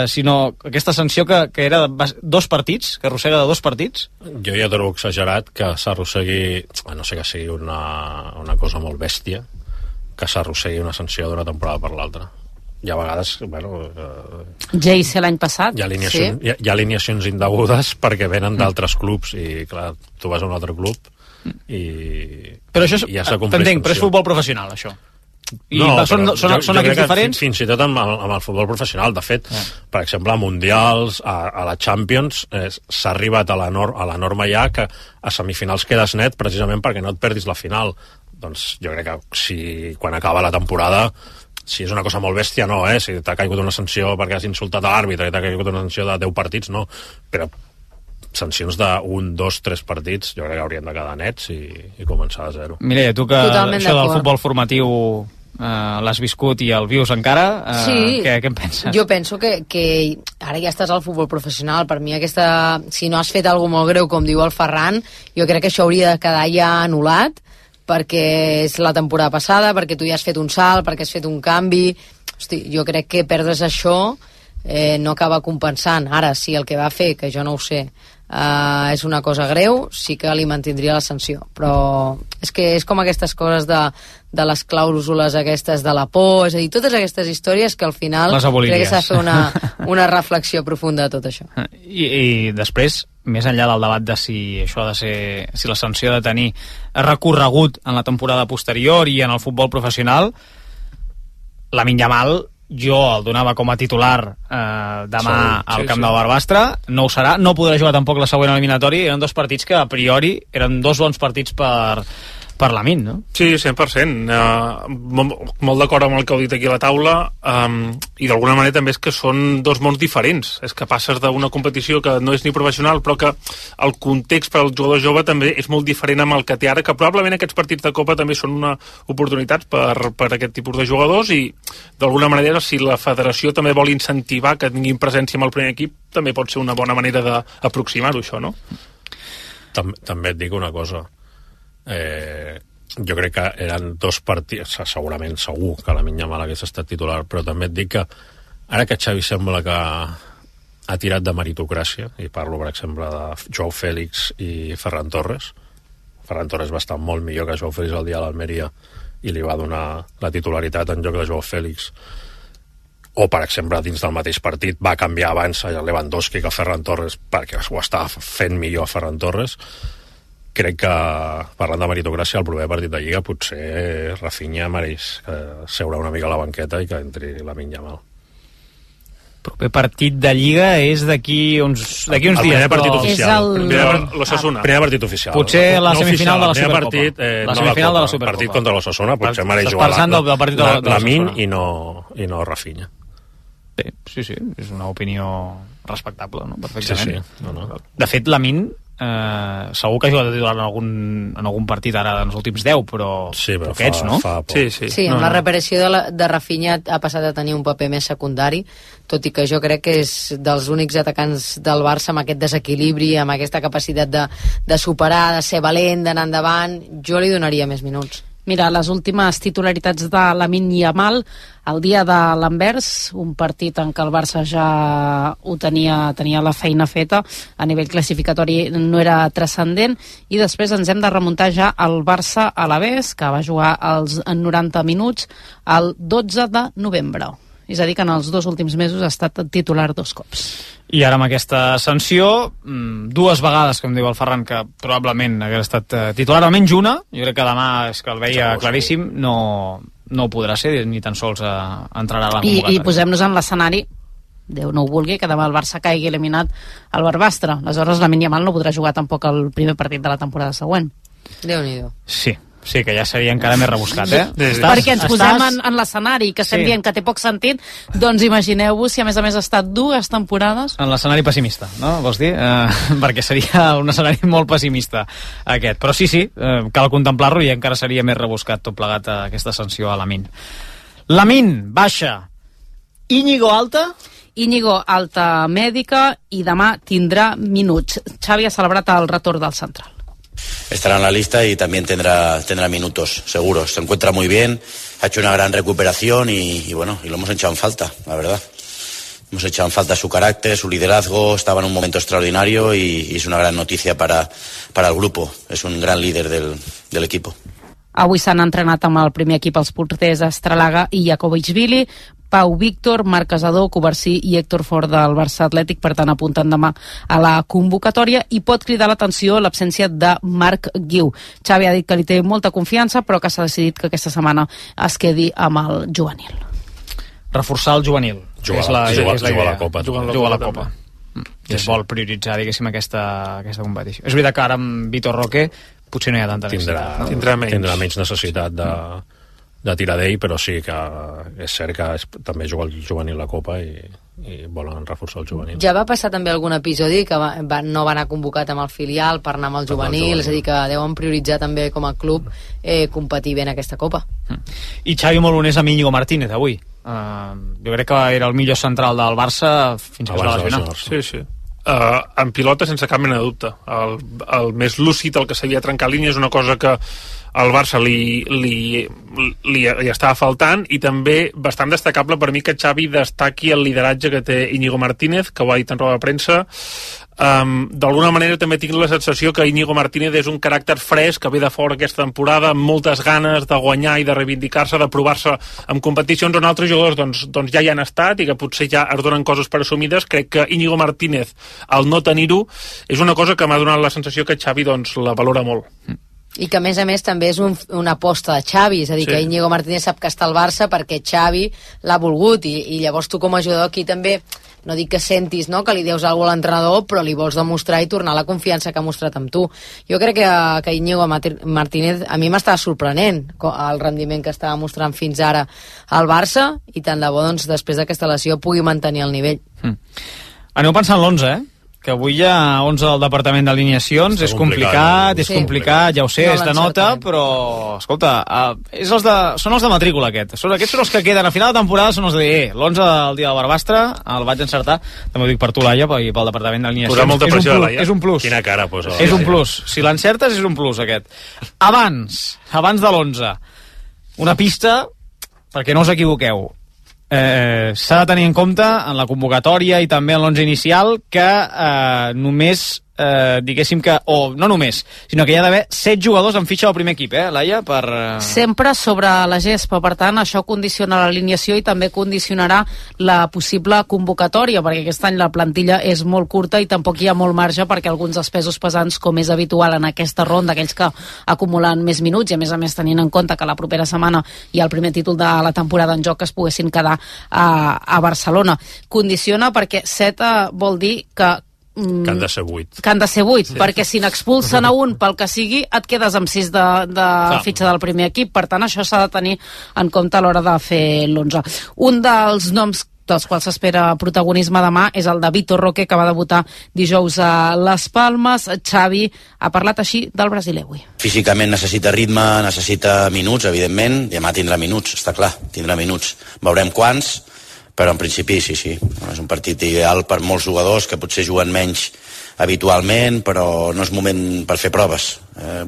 D: sinó aquesta sanció que era de 2 partits, que arrossega de 2 partits?
H: Jo ja trobo exagerat que s'arrossegui, no sé, que sigui una cosa molt bèstia, que s'arrossegui una sanció d'una temporada per l'altra. I a vegades,
S: Jayce l'any passat,
H: hi ha alineacions indegudes perquè venen d'altres clubs i, clar, tu vas a un altre club i
D: però això
H: ja s'ha complert.
D: T'entenc, però és futbol professional, això. I són equips diferents?
H: Fins i tot amb el futbol professional. De fet, per exemple, a Mundials, a la Champions, s'ha arribat a la norma ja que a semifinals quedes net precisament perquè no et perdis la final. Doncs jo crec que quan acaba la temporada, si és una cosa molt bèstia, no, si t'ha caigut una sanció perquè has insultat a l'àrbitre i t'ha caigut una sanció de 10 partits, no, però sancions de 1, 2, 3 partits jo crec que haurien de quedar nets i començar de zero.
D: Mireia, tu que això del futbol formatiu l'has viscut i el vius encara, què en penses?
K: Jo penso que ara ja estàs al futbol professional. Per mi si no has fet alguna molt greu, com diu el Ferran, jo crec que això hauria de quedar ja anul·lat, perquè és la temporada passada, perquè tu ja has fet un salt, perquè has fet un canvi. Hosti, jo crec que perdre's això no acaba compensant. Ara, si el que va fer, que jo no ho sé, és una cosa greu, sí que li mantindria la sanció, però és que és com aquestes coses de les clàusules aquestes de la por, és a dir, totes aquestes històries que al final crec que s'ha de fer una reflexió profunda de tot això.
D: I després, més enllà del debat de si això ha de ser, si la sanció ha de tenir recorregut en la temporada posterior i en el futbol professional, Lamine Yamal jo el donava com a titular demà al camp del Barbastre, no ho serà, no podrà jugar tampoc la següent eliminatòria. Eren 2 partits que a priori eren 2 bons partits per per Lamine, no?
G: Sí, 100%. Molt d'acord amb el que heu dit aquí a la taula, i d'alguna manera també és que són dos mons diferents. És que passes d'una competició que no és ni professional, però que el context per al jugador jove també és molt diferent amb el que té ara, que probablement aquests partits de Copa també són una oportunitat per aquest tipus de jugadors, i d'alguna manera, si la federació també vol incentivar que tinguin presència amb el primer equip, també pot ser una bona manera d'aproximar-ho, això, no?
H: També et dic una cosa. Jo crec que eren dos partits, segurament, segur que Lamine Yamal hagués estat titular, però també et dic que ara que Xavi sembla que ha tirat de meritocràcia, i parlo per exemple de Joao Félix i Ferran Torres va estar molt millor que Joao Félix el dia a l'Almeria i li va donar la titularitat en lloc de Joao Félix, o per exemple dins del mateix partit va canviar abans a Lewandowski que a Ferran Torres perquè ho estava fent millor a Ferran Torres. Crec que, parlant de meritocràcia, el proper partit de Lliga potser Rafinha mereix seure una mica a la banqueta i que entri Lamine Yamal.
D: Proper partit de Lliga és d'aquí uns dies.
H: El primer partit oficial.
G: Primer
H: partit oficial.
D: Potser la semifinal de la Supercopa.
H: La semifinal de la Supercopa. Partit contra l'Osasuna, potser mereix jugar Lamine i no Rafinha.
D: Sí, és una opinió respectable, no? Perfectament.
H: Sí. No.
D: De fet, Lamine segur que ha jugat de titular en algun partit ara en els últims 10, però poquets, no?
K: Sí, amb la reaparició de Rafinha ha passat a tenir un paper més secundari, tot i que jo crec que és dels únics atacants del Barça amb aquest desequilibri, amb aquesta capacitat de superar, de ser valent, d'anar endavant. Jo li donaria més minuts.
S: Mira, les últimes titularitats de Lamine Yamal, el dia de l'Anvers, un partit en què el Barça ja ho tenia la feina feta, a nivell classificatori no era transcendent, i després ens hem de remuntar ja al Barça Alavés, que va jugar en 90 minuts el 12 de novembre. És a dir, que en els 2 últims mesos ha estat titular 2 cops.
D: I ara amb aquesta sanció, 2 vegades, com diu el Ferran, que probablement hagués estat titular, almenys una, jo crec que demà és que el veia claríssim, no ho podrà ser, ni tan sols entrarà a la convocatòria.
S: I posem-nos en l'escenari, Déu no ho vulgui, que demà el Barça caigui eliminat al Barbastre. Aleshores, Lamine Yamal no podrà jugar tampoc el primer partit de la temporada següent.
K: Déu-n'hi-do.
D: Sí, que ja seria encara més rebuscat,
S: Perquè ens posem en l'escenari, que estem dient que té poc sentit, doncs imagineu-vos si a més ha estat 2 temporades.
D: En l'escenari pessimista, no? Vols dir? Perquè seria un escenari molt pessimista aquest. Però sí, cal contemplar-lo i encara seria més rebuscat tot plegat aquesta sanció a Lamine. Lamine, baixa. Íñigo, alta?
S: Íñigo, alta mèdica, i demà tindrà minuts. Xavi ha celebrat el retorn del central.
T: Estará en la lista y también tendrá minutos, seguro. Se encuentra muy bien, ha hecho una gran recuperación y lo hemos echado en falta, la verdad. Hemos echado en falta su carácter, su liderazgo, estaba en un momento extraordinario y es una gran noticia para el grupo. Es un gran líder del equipo.
S: Avui s'han entrenat amb el primer equip els porters Estralaga i Jakovic-Vili, Pau Víctor, Marc Casador, Covarsí i Héctor Fort del Barça Atlètic, per tant apuntant demà a la convocatòria, i pot cridar l'atenció l'absència de Marc Guiu. Xavi ha dit que li té molta confiança, però que s'ha decidit que aquesta setmana es quedi amb el juvenil.
D: Reforçar el juvenil.
H: Jugar a la Copa.
D: Jugar a la Copa. I es vol prioritzar, diguéssim, aquesta competició. És veritat que ara amb Vitor Roque potser no hi ha tanta necessitat.
H: Tindrà menys necessitat de tirar d'ell, però sí que és cert que també juga el juvenil a la Copa i volen reforçar el juvenil.
K: Ja va passar també algun episodi que no va anar convocat amb el filial per anar amb el juvenil, és a dir, que deuen prioritzar també com a club competir bé en aquesta Copa.
D: I Xavi molt honest amb Íñigo Martínez avui. Jo crec que era el millor central del Barça fins que es va lesionar.
G: Sí. En pilota sense cap mena de dubte. El més lúcid, el que sabia trencar línies, és una cosa que al Barça li estava faltant, i també bastant destacable per mi que Xavi destaqui el lideratge que té Íñigo Martínez, que ho ha dit en roda de premsa. D'alguna manera també tinc la sensació que Íñigo Martínez és un caràcter fresc que ve de fora aquesta temporada amb moltes ganes de guanyar i de reivindicar-se, de provar-se en competicions on altres jugadors doncs ja hi han estat i que potser ja es donen coses per assumides. Crec que Íñigo Martínez, al no tenir-ho, és una cosa que m'ha donat la sensació que Xavi la valora molt.
K: I que a més també és una aposta de Xavi, és a dir, que Íñigo Martínez sap que està al Barça perquè Xavi l'ha volgut, i llavors tu com a jugador aquí també no dic que sentis, no?, que li deus alguna cosa a l'entrenador, però li vols demostrar i tornar la confiança que ha mostrat amb tu. Jo crec que Íñigo Martínez a mi m'estava sorprenent el rendiment que estava mostrant fins ara al Barça, i tant de bo, doncs, després d'aquesta lesió pugui mantenir el nivell.
D: Aneu pensant l'11, que avui hi ha 11 del departament d'alineacions, és complicat, ja ho sé, és de nota, però, escolta, són els de matrícula aquests són els que queden a final de temporada, són els de dir, l'11 del dia del Barbastre, el vaig encertar, també ho dic per tu, Laia, i pel departament d'alineacions.
H: Posar molta pressió a Laia.
D: És un plus.
H: Quina cara posa.
D: És un plus. Si l'encertes, és un plus, aquest. Abans de l'11, una pista, perquè no us equivoqueu. S'ha de tenir en compte en la convocatòria i també en l'11 inicial que només diguéssim que, o no només, sinó que hi ha d'haver 7 jugadors en fitxa del primer equip, Laia?
S: Sempre sobre la gespa, per tant, això condiciona l'alineació i també condicionarà la possible convocatòria, perquè aquest any la plantilla és molt curta i tampoc hi ha molt marge perquè alguns dels pesos pesants, com és habitual en aquesta ronda, aquells que acumulen més minuts, i a més tenint en compte que la propera setmana hi ha el primer títol de la temporada en joc, es poguessin quedar a Barcelona. Condiciona perquè 7 vol dir que
H: han de ser 8.
S: Que han de ser 8, perquè si n'expulsen a un pel que sigui, et quedes amb 6 de fitxa del primer equip. Per tant, això s'ha de tenir en compte a l'hora de fer l'11. Un dels noms dels quals s'espera protagonisme demà és el de Vitor Roque, que va debutar dijous a Les Palmes. Xavi ha parlat així del brasiler avui.
T: Físicament necessita ritme, necessita minuts, evidentment. Demà tindrà minuts, està clar, tindrà minuts. Veurem quants, però en principi sí. És un partit ideal per molts jugadors que potser juguen menys habitualment, però no és moment per fer proves.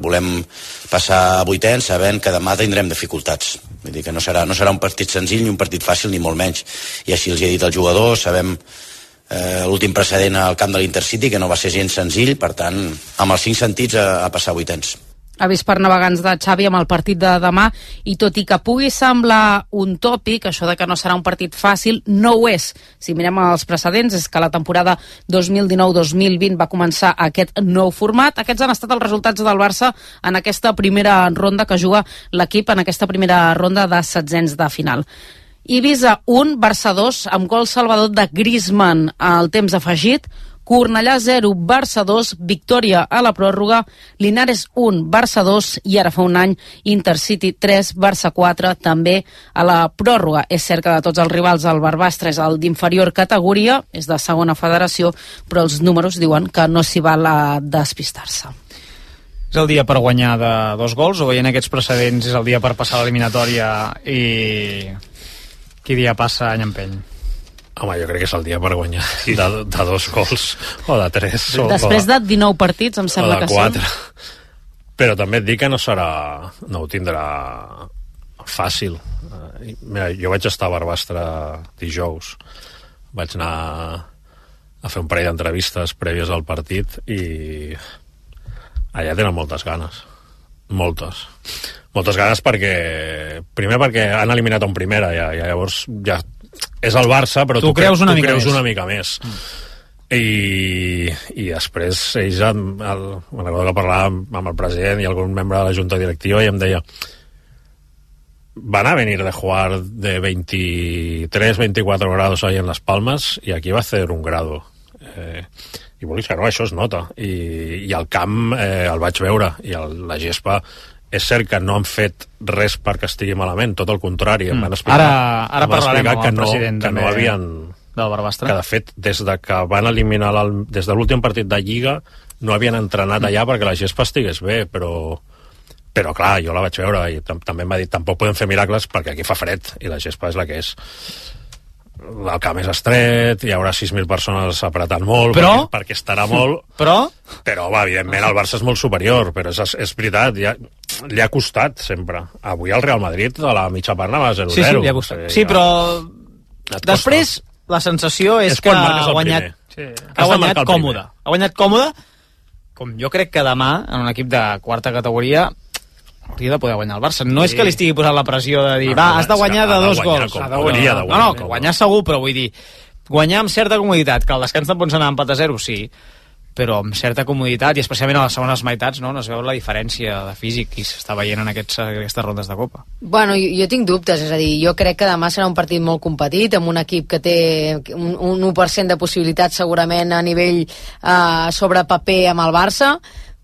T: Volem passar a vuitens sabent que demà tindrem dificultats. Vull dir que no serà un partit senzill ni un partit fàcil, ni molt menys. I així els he dit als jugadors, sabem l'últim precedent al camp de l'Intercity, que no va ser gens senzill, per tant, amb els 5 sentits a passar a vuitens.
S: Avís per navegants de Xavi amb el partit de demà, i tot i que pugui semblar un tòpic, això de que no serà un partit fàcil, no ho és. Si mirem els precedents, és que la temporada 2019-2020 va començar aquest nou format. Aquests han estat els resultats del Barça en aquesta primera ronda que juga l'equip, en aquesta primera ronda de setzents de final. Ibiza 1, Barça 2, amb gol salvador de Griezmann al temps afegit. Cornellà 0, Barça 2, victòria a la pròrroga. Linares 1, Barça 2, i ara fa un any Intercity 3, Barça 4, també a la pròrroga. És cert que de tots els rivals el Barbastre és el d'inferior categoria, és de segona federació, però els números diuen que no s'hi val a despistar-se.
D: És el dia per guanyar de 2 gols, o veient aquests precedents és el dia per passar l'eliminatòria i qui dia passa any empeny?
H: Home, jo crec que és el dia per guanyar de 2 gols o de 3.
S: Després de 19 partits, em sembla que sí.
H: O de 4. Però també et dic que no ho tindrà fàcil. Mira, jo vaig estar a Barbastre dijous. Vaig anar a fer un parell d'entrevistes prèvies al partit i allà tenen moltes ganes. Moltes ganes primer perquè han eliminat un primera i llavors ja és el Barça, però tu creus una mica més. I després ells me'n recordo que parlàvem amb el president i algun membre de la junta directiva i em deia, van a venir de jugar de 23-24 grados ahí en Las Palmas y aquí va a hacer un grado. I vulguis que no, això es nota. I el camp el vaig veure i la gespa és cert que no han fet res perquè estigui malament, tot el contrari. Em van explicar,
D: ara parlarem amb el president
H: que no havien,
D: del Barbastre.
H: Que de fet, des de que van eliminar des de l'últim partit de Lliga no havien entrenat allà perquè la gespa estigués bé, però clar, jo la vaig veure i també em va dir, tampoc podem fer miracles perquè aquí fa fred i la gespa és la que és. El camp és estret, hi haurà 6.000 persones apretant molt, perquè estarà molt... Però, evidentment, el Barça és molt superior, però és veritat, li ha costat sempre. Avui el Real Madrid a la mitja part anava 0-0.
D: Sí, li ha costat. Sí, però després la sensació és que ha guanyat còmode. Ha guanyat còmode, com jo crec que demà, en un equip de quarta categoria, hauria de poder guanyar el Barça. No és que li estigui posant la pressió de dir, has de guanyar de 2 gols. No, guanyar segur, però vull dir, guanyar amb certa comoditat, que el descans te'n pots anar empat a 0, sí, però amb certa comoditat, i especialment a les segones meitats no es veu la diferència de físic i s'està veient en aquestes rondes de Copa.
K: Bueno, jo tinc dubtes, és a dir, jo crec que demà serà un partit molt competit, amb un equip que té un 1% de possibilitats segurament a nivell sobre paper amb el Barça,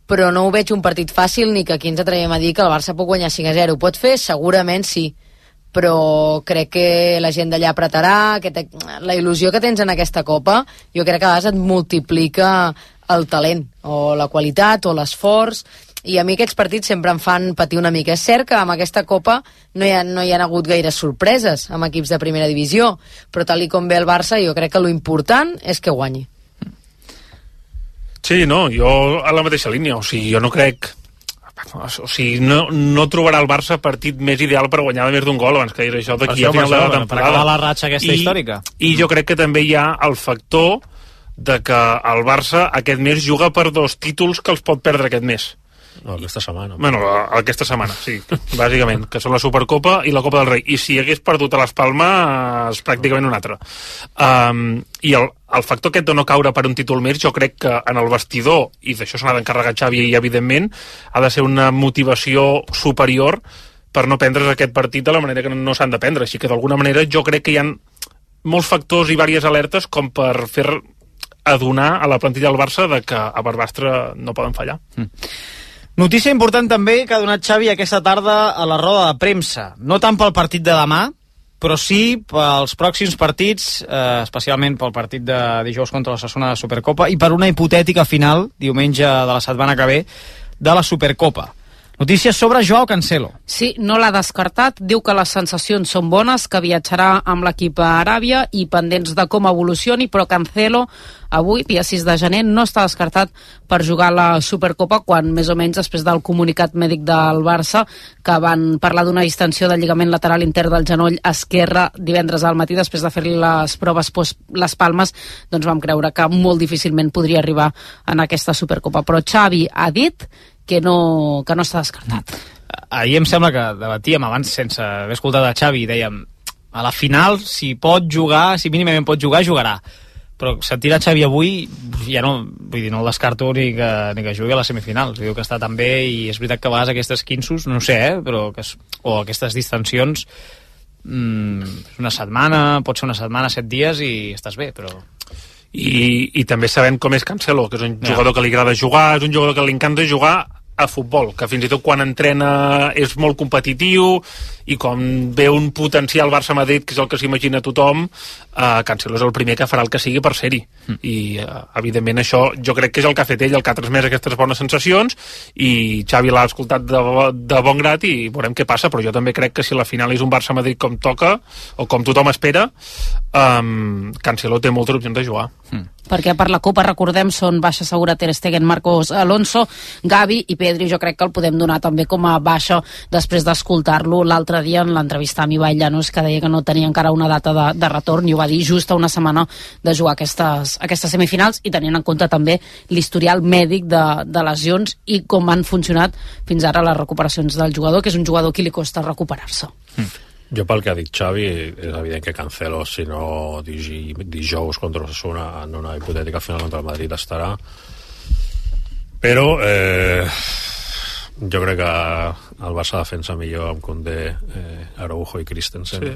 K: però no ho veig un partit fàcil ni que aquí ens atrevem a dir que el Barça pot guanyar 5-0. Pot fer? Segurament sí, però crec que la gent d'allà apretarà, la il·lusió que tens en aquesta Copa, jo crec que a vegades et multiplica el talent, o la qualitat, o l'esforç, i a mi aquests partits sempre em fan patir una mica. És cert que amb aquesta Copa no hi ha hagut gaires sorpreses amb equips de primera divisió, però tal i com ve el Barça, jo crec que lo important és que guanyi.
G: Sí, no, jo a la mateixa línia, o sigui, jo no crec... O sigui, no trobarà el Barça partit més ideal per guanyar de més d'un gol abans que dir això d'aquí a final de la temporada.
D: Per acabar la ratxa aquesta històrica.
G: I jo crec que també hi ha el factor de que el Barça aquest mes juga per 2 títols que els pot perdre aquest mes.
H: No, aquesta setmana.
G: Bueno, aquesta setmana, sí, bàsicament, que són la Supercopa i la Copa del Rei. I si hagués perdut a les Palmes, pràcticament un altre. I el factor aquest de no caure per un títol més, jo crec que en el vestidor, i d'això se n'ha d'encarregar Xavi, i evidentment, ha de ser una motivació superior per no prendre's aquest partit de la manera que no s'han de prendre. Així que, d'alguna manera, jo crec que hi ha molts factors i diverses alertes com per fer adonar a la plantilla del Barça de que a Barbastre no poden fallar.
D: Notícia important també que ha donat Xavi aquesta tarda a la roda de premsa. No tant pel partit de demà, però sí pels pròxims partits, especialment pel partit de dijous contra l'Osasuna de Supercopa i per una hipotètica final, diumenge de la setmana que ve, de la Supercopa. Notícies sobre Joao Cancelo.
S: Sí, no l'ha descartat, diu que les sensacions són bones, que viatjarà amb l'equip a Aràbia i pendents de com evolucioni, però Cancelo avui, dia 6 de gener, no està descartat per jugar la Supercopa, quan més o menys després del comunicat mèdic del Barça, que van parlar d'una distensió del lligament lateral intern del genoll esquerre divendres al matí, després de fer-li les proves les palmes, doncs vam creure que molt difícilment podria arribar en aquesta Supercopa. Però Xavi ha dit que no està descartat.
D: Ahir em sembla que debatíem abans sense haver escoltat a Xavi i dèiem a la final, si pot jugar, si mínimament pot jugar, jugarà. Però sentir a Xavi avui ja no, vull dir, no el descarto ni que jugui a les semifinals. Diu que està tan bé i és veritat que a vegades aquestes quinsos, no sé, però o aquestes distensions una setmana, pot ser una setmana, 7 dies i estàs bé, però...
G: I també sabem com és Cancelo, que és un jugador que li agrada jugar, és un jugador que li encanta jugar a futbol, que fins i tot quan entrena és molt competitiu i com ve un potencial Barça-Madrid, que és el que s'imagina tothom, Cancelo és el primer que farà el que sigui per ser-hi. I evidentment això jo crec que és el que ha fet ell, el que ha transmès aquestes bones sensacions, i Xavi l'ha escoltat de bon grat i veurem què passa, però jo també crec que si la final és un Barça-Madrid com toca o com tothom espera, Cancelo té moltes opcions de jugar.
S: Perquè per la Copa, recordem, són baixa segura Ter Stegen, Marcos Alonso, Gavi i Pedri. Jo crec que el podem donar també com a baixa després d'escoltar-lo l'altre dia en l'entrevista amb Ibai Llanos, que deia que no tenia encara una data de retorn, i ho va dir just a una setmana de jugar aquestes semifinals, i tenint en compte també l'historial mèdic de lesions i com han funcionat fins ara les recuperacions del jugador, que és un jugador que li costa recuperar-se.
H: Jo pel que ha dit Xavi, és evident que Cancelo, si no dijous contra l'Osasuna en una hipotètica final contra el Madrid estarà, però jo crec que el Barça defensa millor amb Koundé, Araujo i Christensen,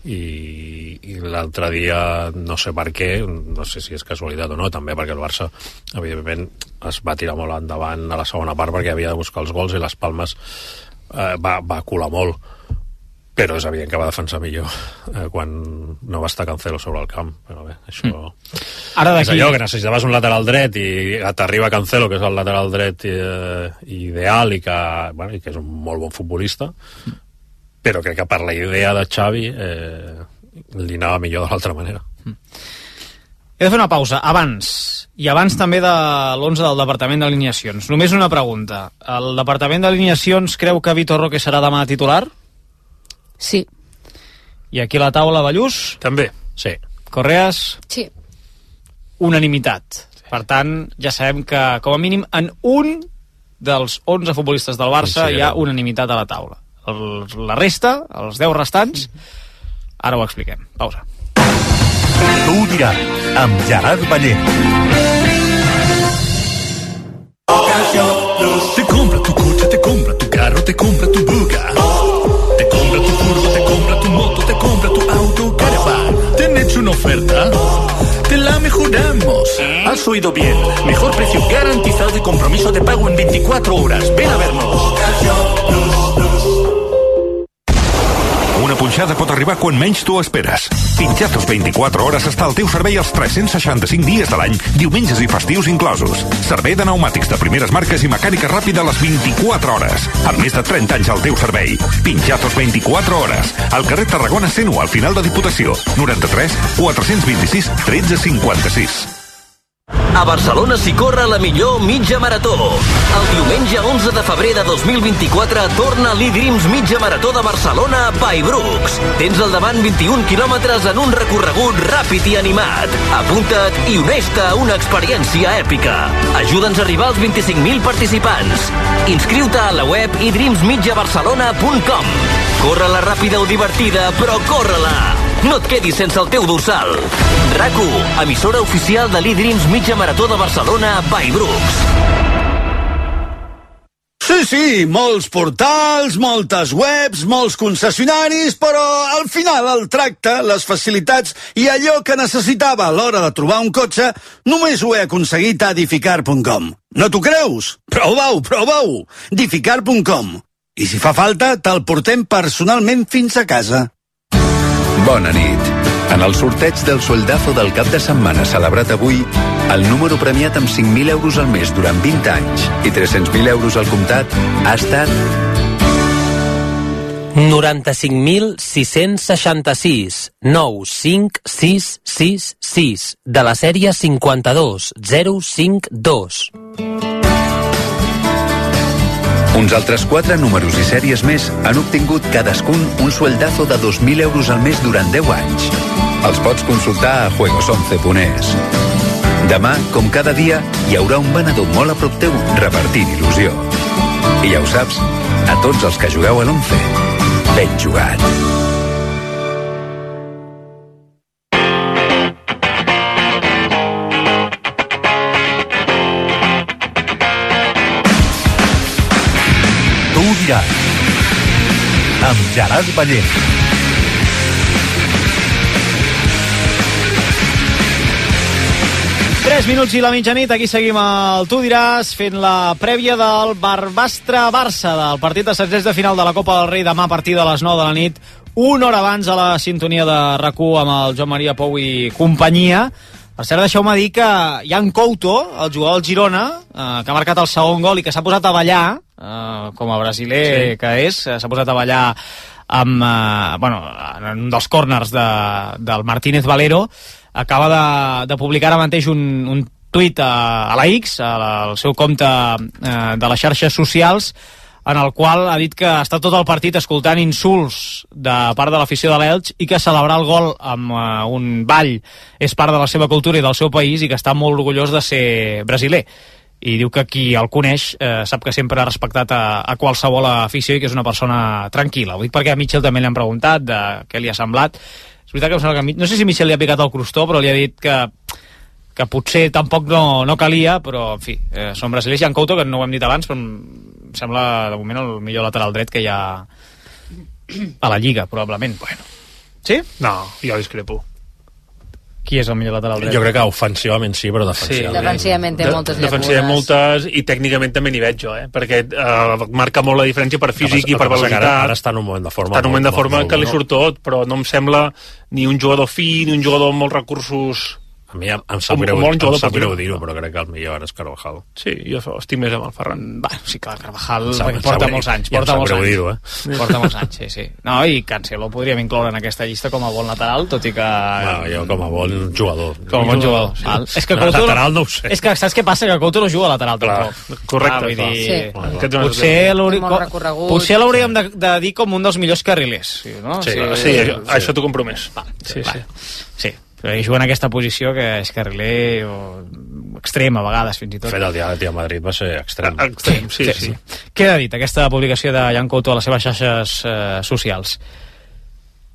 H: i l'altre dia no sé per què, no sé si és casualitat o no, també perquè el Barça evidentment es va tirar molt endavant a la segona part perquè havia de buscar els gols i les Palmes va colar molt, però és evident que va defensar millor quan no va estar Cancelo sobre el camp. Però bé, això és allò que necessitaves un lateral dret i t'arriba Cancelo, que és el lateral dret ideal i que és un molt bon futbolista, però crec que per la idea de Xavi li anava millor de l'altra manera.
D: He de fer una pausa abans també de l'11 del Departament d'Alineacions. Només una pregunta. El Departament d'Alineacions creu que Vitor Roque serà demà titular?
S: Sí.
D: I aquí a la taula, Ballús?
G: També.
H: Sí.
D: Correas?
K: Sí.
D: Unanimitat. Per tant, ja sabem que, com a mínim, en un dels 11 futbolistes del Barça hi ha unanimitat a la taula. La resta, els 10 restants, ara ho expliquem. Pausa.
C: Tu ho diràs, amb Gerard Ballén. Te compra tu coche, te compra tu carro, te compra tu Buga. Te compra tu furgo, te compra tu moto, te compra tu auto, caravan. ¿Te han hecho una oferta? Te la mejoramos. Has oído bien. Mejor precio garantizado y compromiso de pago en 24 horas. Ven a vernos.
A: Una punxada pot arribar quan menys tu esperes. Pinchatos 24 hores està al teu servei els 365 dies de l'any, diumenges i festius inclosos. Servei de pneumàtics de primeres marques i mecànica ràpida a les 24 hores. Amb més de 30 anys al teu servei. Pinchatos 24 hores. Al carrer Tarragona 101, al final de Diputació. 93 426 1356.
O: A Barcelona s'hi corre la millor mitja marató. El diumenge 11 de febrer de 2024 torna l'E-Dreams mitja marató de Barcelona by Brooks. Tens al davant 21 quilòmetres en un recorregut ràpid i animat. Apunta't i uneix-te a una experiència èpica. Ajuda'ns a arribar als 25.000 participants. Inscriu-te a la web edreamsmitjabarcelona.com. Corre-la ràpida o divertida, però corre-la! No et quedis sense el teu dorsal. RAC1, emissora oficial de l'E-Dreams mitja marató de Barcelona by Brooks.
Q: Sí, molts portals, moltes webs, molts concessionaris, però al final el tracte, les facilitats i allò que necessitava a l'hora de trobar un cotxe només ho he aconseguit a Edificar.com. No t'ho creus? Prova-ho! Edificar.com. I si fa falta, te'l portem personalment fins a casa.
U: Bona nit. En el sorteig del Sueldazo del cap de setmana celebrat avui, el número premiat amb 5.000 euros al mes durant 20 anys i 300.000 euros al comptat ha estat
M: 95.666 95666 de la sèrie 52052.
U: Uns altres 4 números i sèries més han obtingut cadascun un sueldazo de 2.000 euros al mes durant 10 anys. Els pots consultar a juegos11.es. Demà, com cada dia, hi haurà un venedor molt a prop teu repartint il·lusió. I ja ho saps, a tots els que jugueu a l'11, ben jugat.
C: Tu diràs, amb Gerard Ballent.
D: Tres minuts i la mitjanit, aquí seguim al Tu diràs, fent la prèvia del Barbastre-Barça, del partit de setzents de final de la Copa del Rei, demà a partir de les 9 de la nit, una hora abans a la sintonia de RAC1 amb el Joan Maria Pou i companyia. Per cert, deixeu-me dir que Jan Couto, el jugador del Girona, que ha marcat el segon gol i que s'ha posat a ballar, com a brasiler que és, s'ha posat a ballar amb, en un dels córners del Martínez Valero, acaba de publicar ara mateix un tuit a la X, al seu compte de les xarxes socials, en el qual ha dit que està tot el partit escoltant insults de part de l'afició de l'Elx i que celebrar el gol amb un ball és part de la seva cultura i del seu país i que està molt orgullós de ser brasiler. I diu que qui el coneix sap que sempre ha respectat a qualsevol afició i que és una persona tranquil·la. Ho dic perquè a Mitchell també li han preguntat de què li ha semblat. És veritat que em sembla que no sé si Mitchell li ha picat el crostó, però li ha dit que potser tampoc no calia, però en fi, són brasilers. Jan Couto, que no ho hem dit abans, però em sembla de moment el millor lateral dret que hi ha a la Lliga, probablement. Bueno. Sí?
G: No, jo discrepo.
D: Qui és el millor lateral dret?
H: Jo crec que ofensivament sí, però defensivament...
K: Sí, defensivament té moltes llacunes.
G: Defensivament moltes, i tècnicament també n'hi veig jo, perquè marca molt la diferència per físic i per velocitat.
H: Ara està en un moment de forma...
G: Està en un moment de forma que li surt tot, però no em sembla ni un jugador fi, ni un jugador amb molts recursos...
H: A mi em sap greu dir-ho, però crec que el millor ara és Carvajal.
G: Sí, jo estic més amb el Ferran.
D: Sí, clar, Carvajal porta molts anys. Porta molts anys, sí. No, i Cancelo podríem incloure en aquesta llista com a bon lateral, tot i que...
H: Jo com a bon jugador.
D: Com a bon jugador. És que Couto...
H: Lateral no ho sé.
D: És que saps què passa? Que Couto no juga a lateral tampoc.
G: Correcte.
D: Potser l'hauríem de dir com un dels millors carrilers.
G: Sí, això t'ho compromès.
D: Sí. Però ell juga en aquesta posició que és carriler o extrem a vegades fins i tot.
H: Fet el dia a Madrid va ser extrem.
D: Sí. Què ha dit aquesta publicació de Jan Couto a les seves xarxes socials?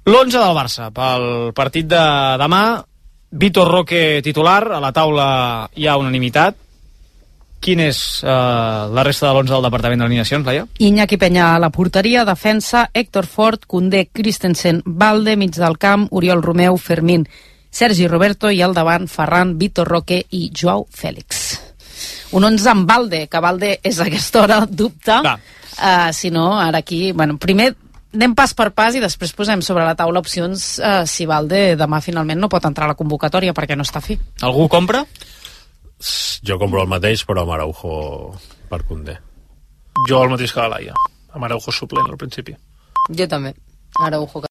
D: L'11 del Barça pel partit de demà. Vitor Roque titular, a la taula hi ha unanimitat. Quin és la resta de l'11 del Departament d'Alineacions, Laia?
S: Iñaki Peña a la porteria, defensa, Héctor Ford, Koundé, Christensen, Balde, mig del camp, Oriol Romeu, Fermín, Sergi Roberto i al davant Ferran, Vitor Roque i Joao Fèlix. Un 11 amb Balde, que Balde és a aquesta hora dubte. Si no, ara aquí... Bueno, primer anem pas per pas i després posem sobre la taula opcions si Balde demà finalment no pot entrar a la convocatòria perquè no està fi.
D: Algú compra?
H: Jo compro el mateix, però amb Araujo per Koundé.
G: Jo el mateix que la Laia, amb Araujo suplent al principi.
K: Jo també, Araujo.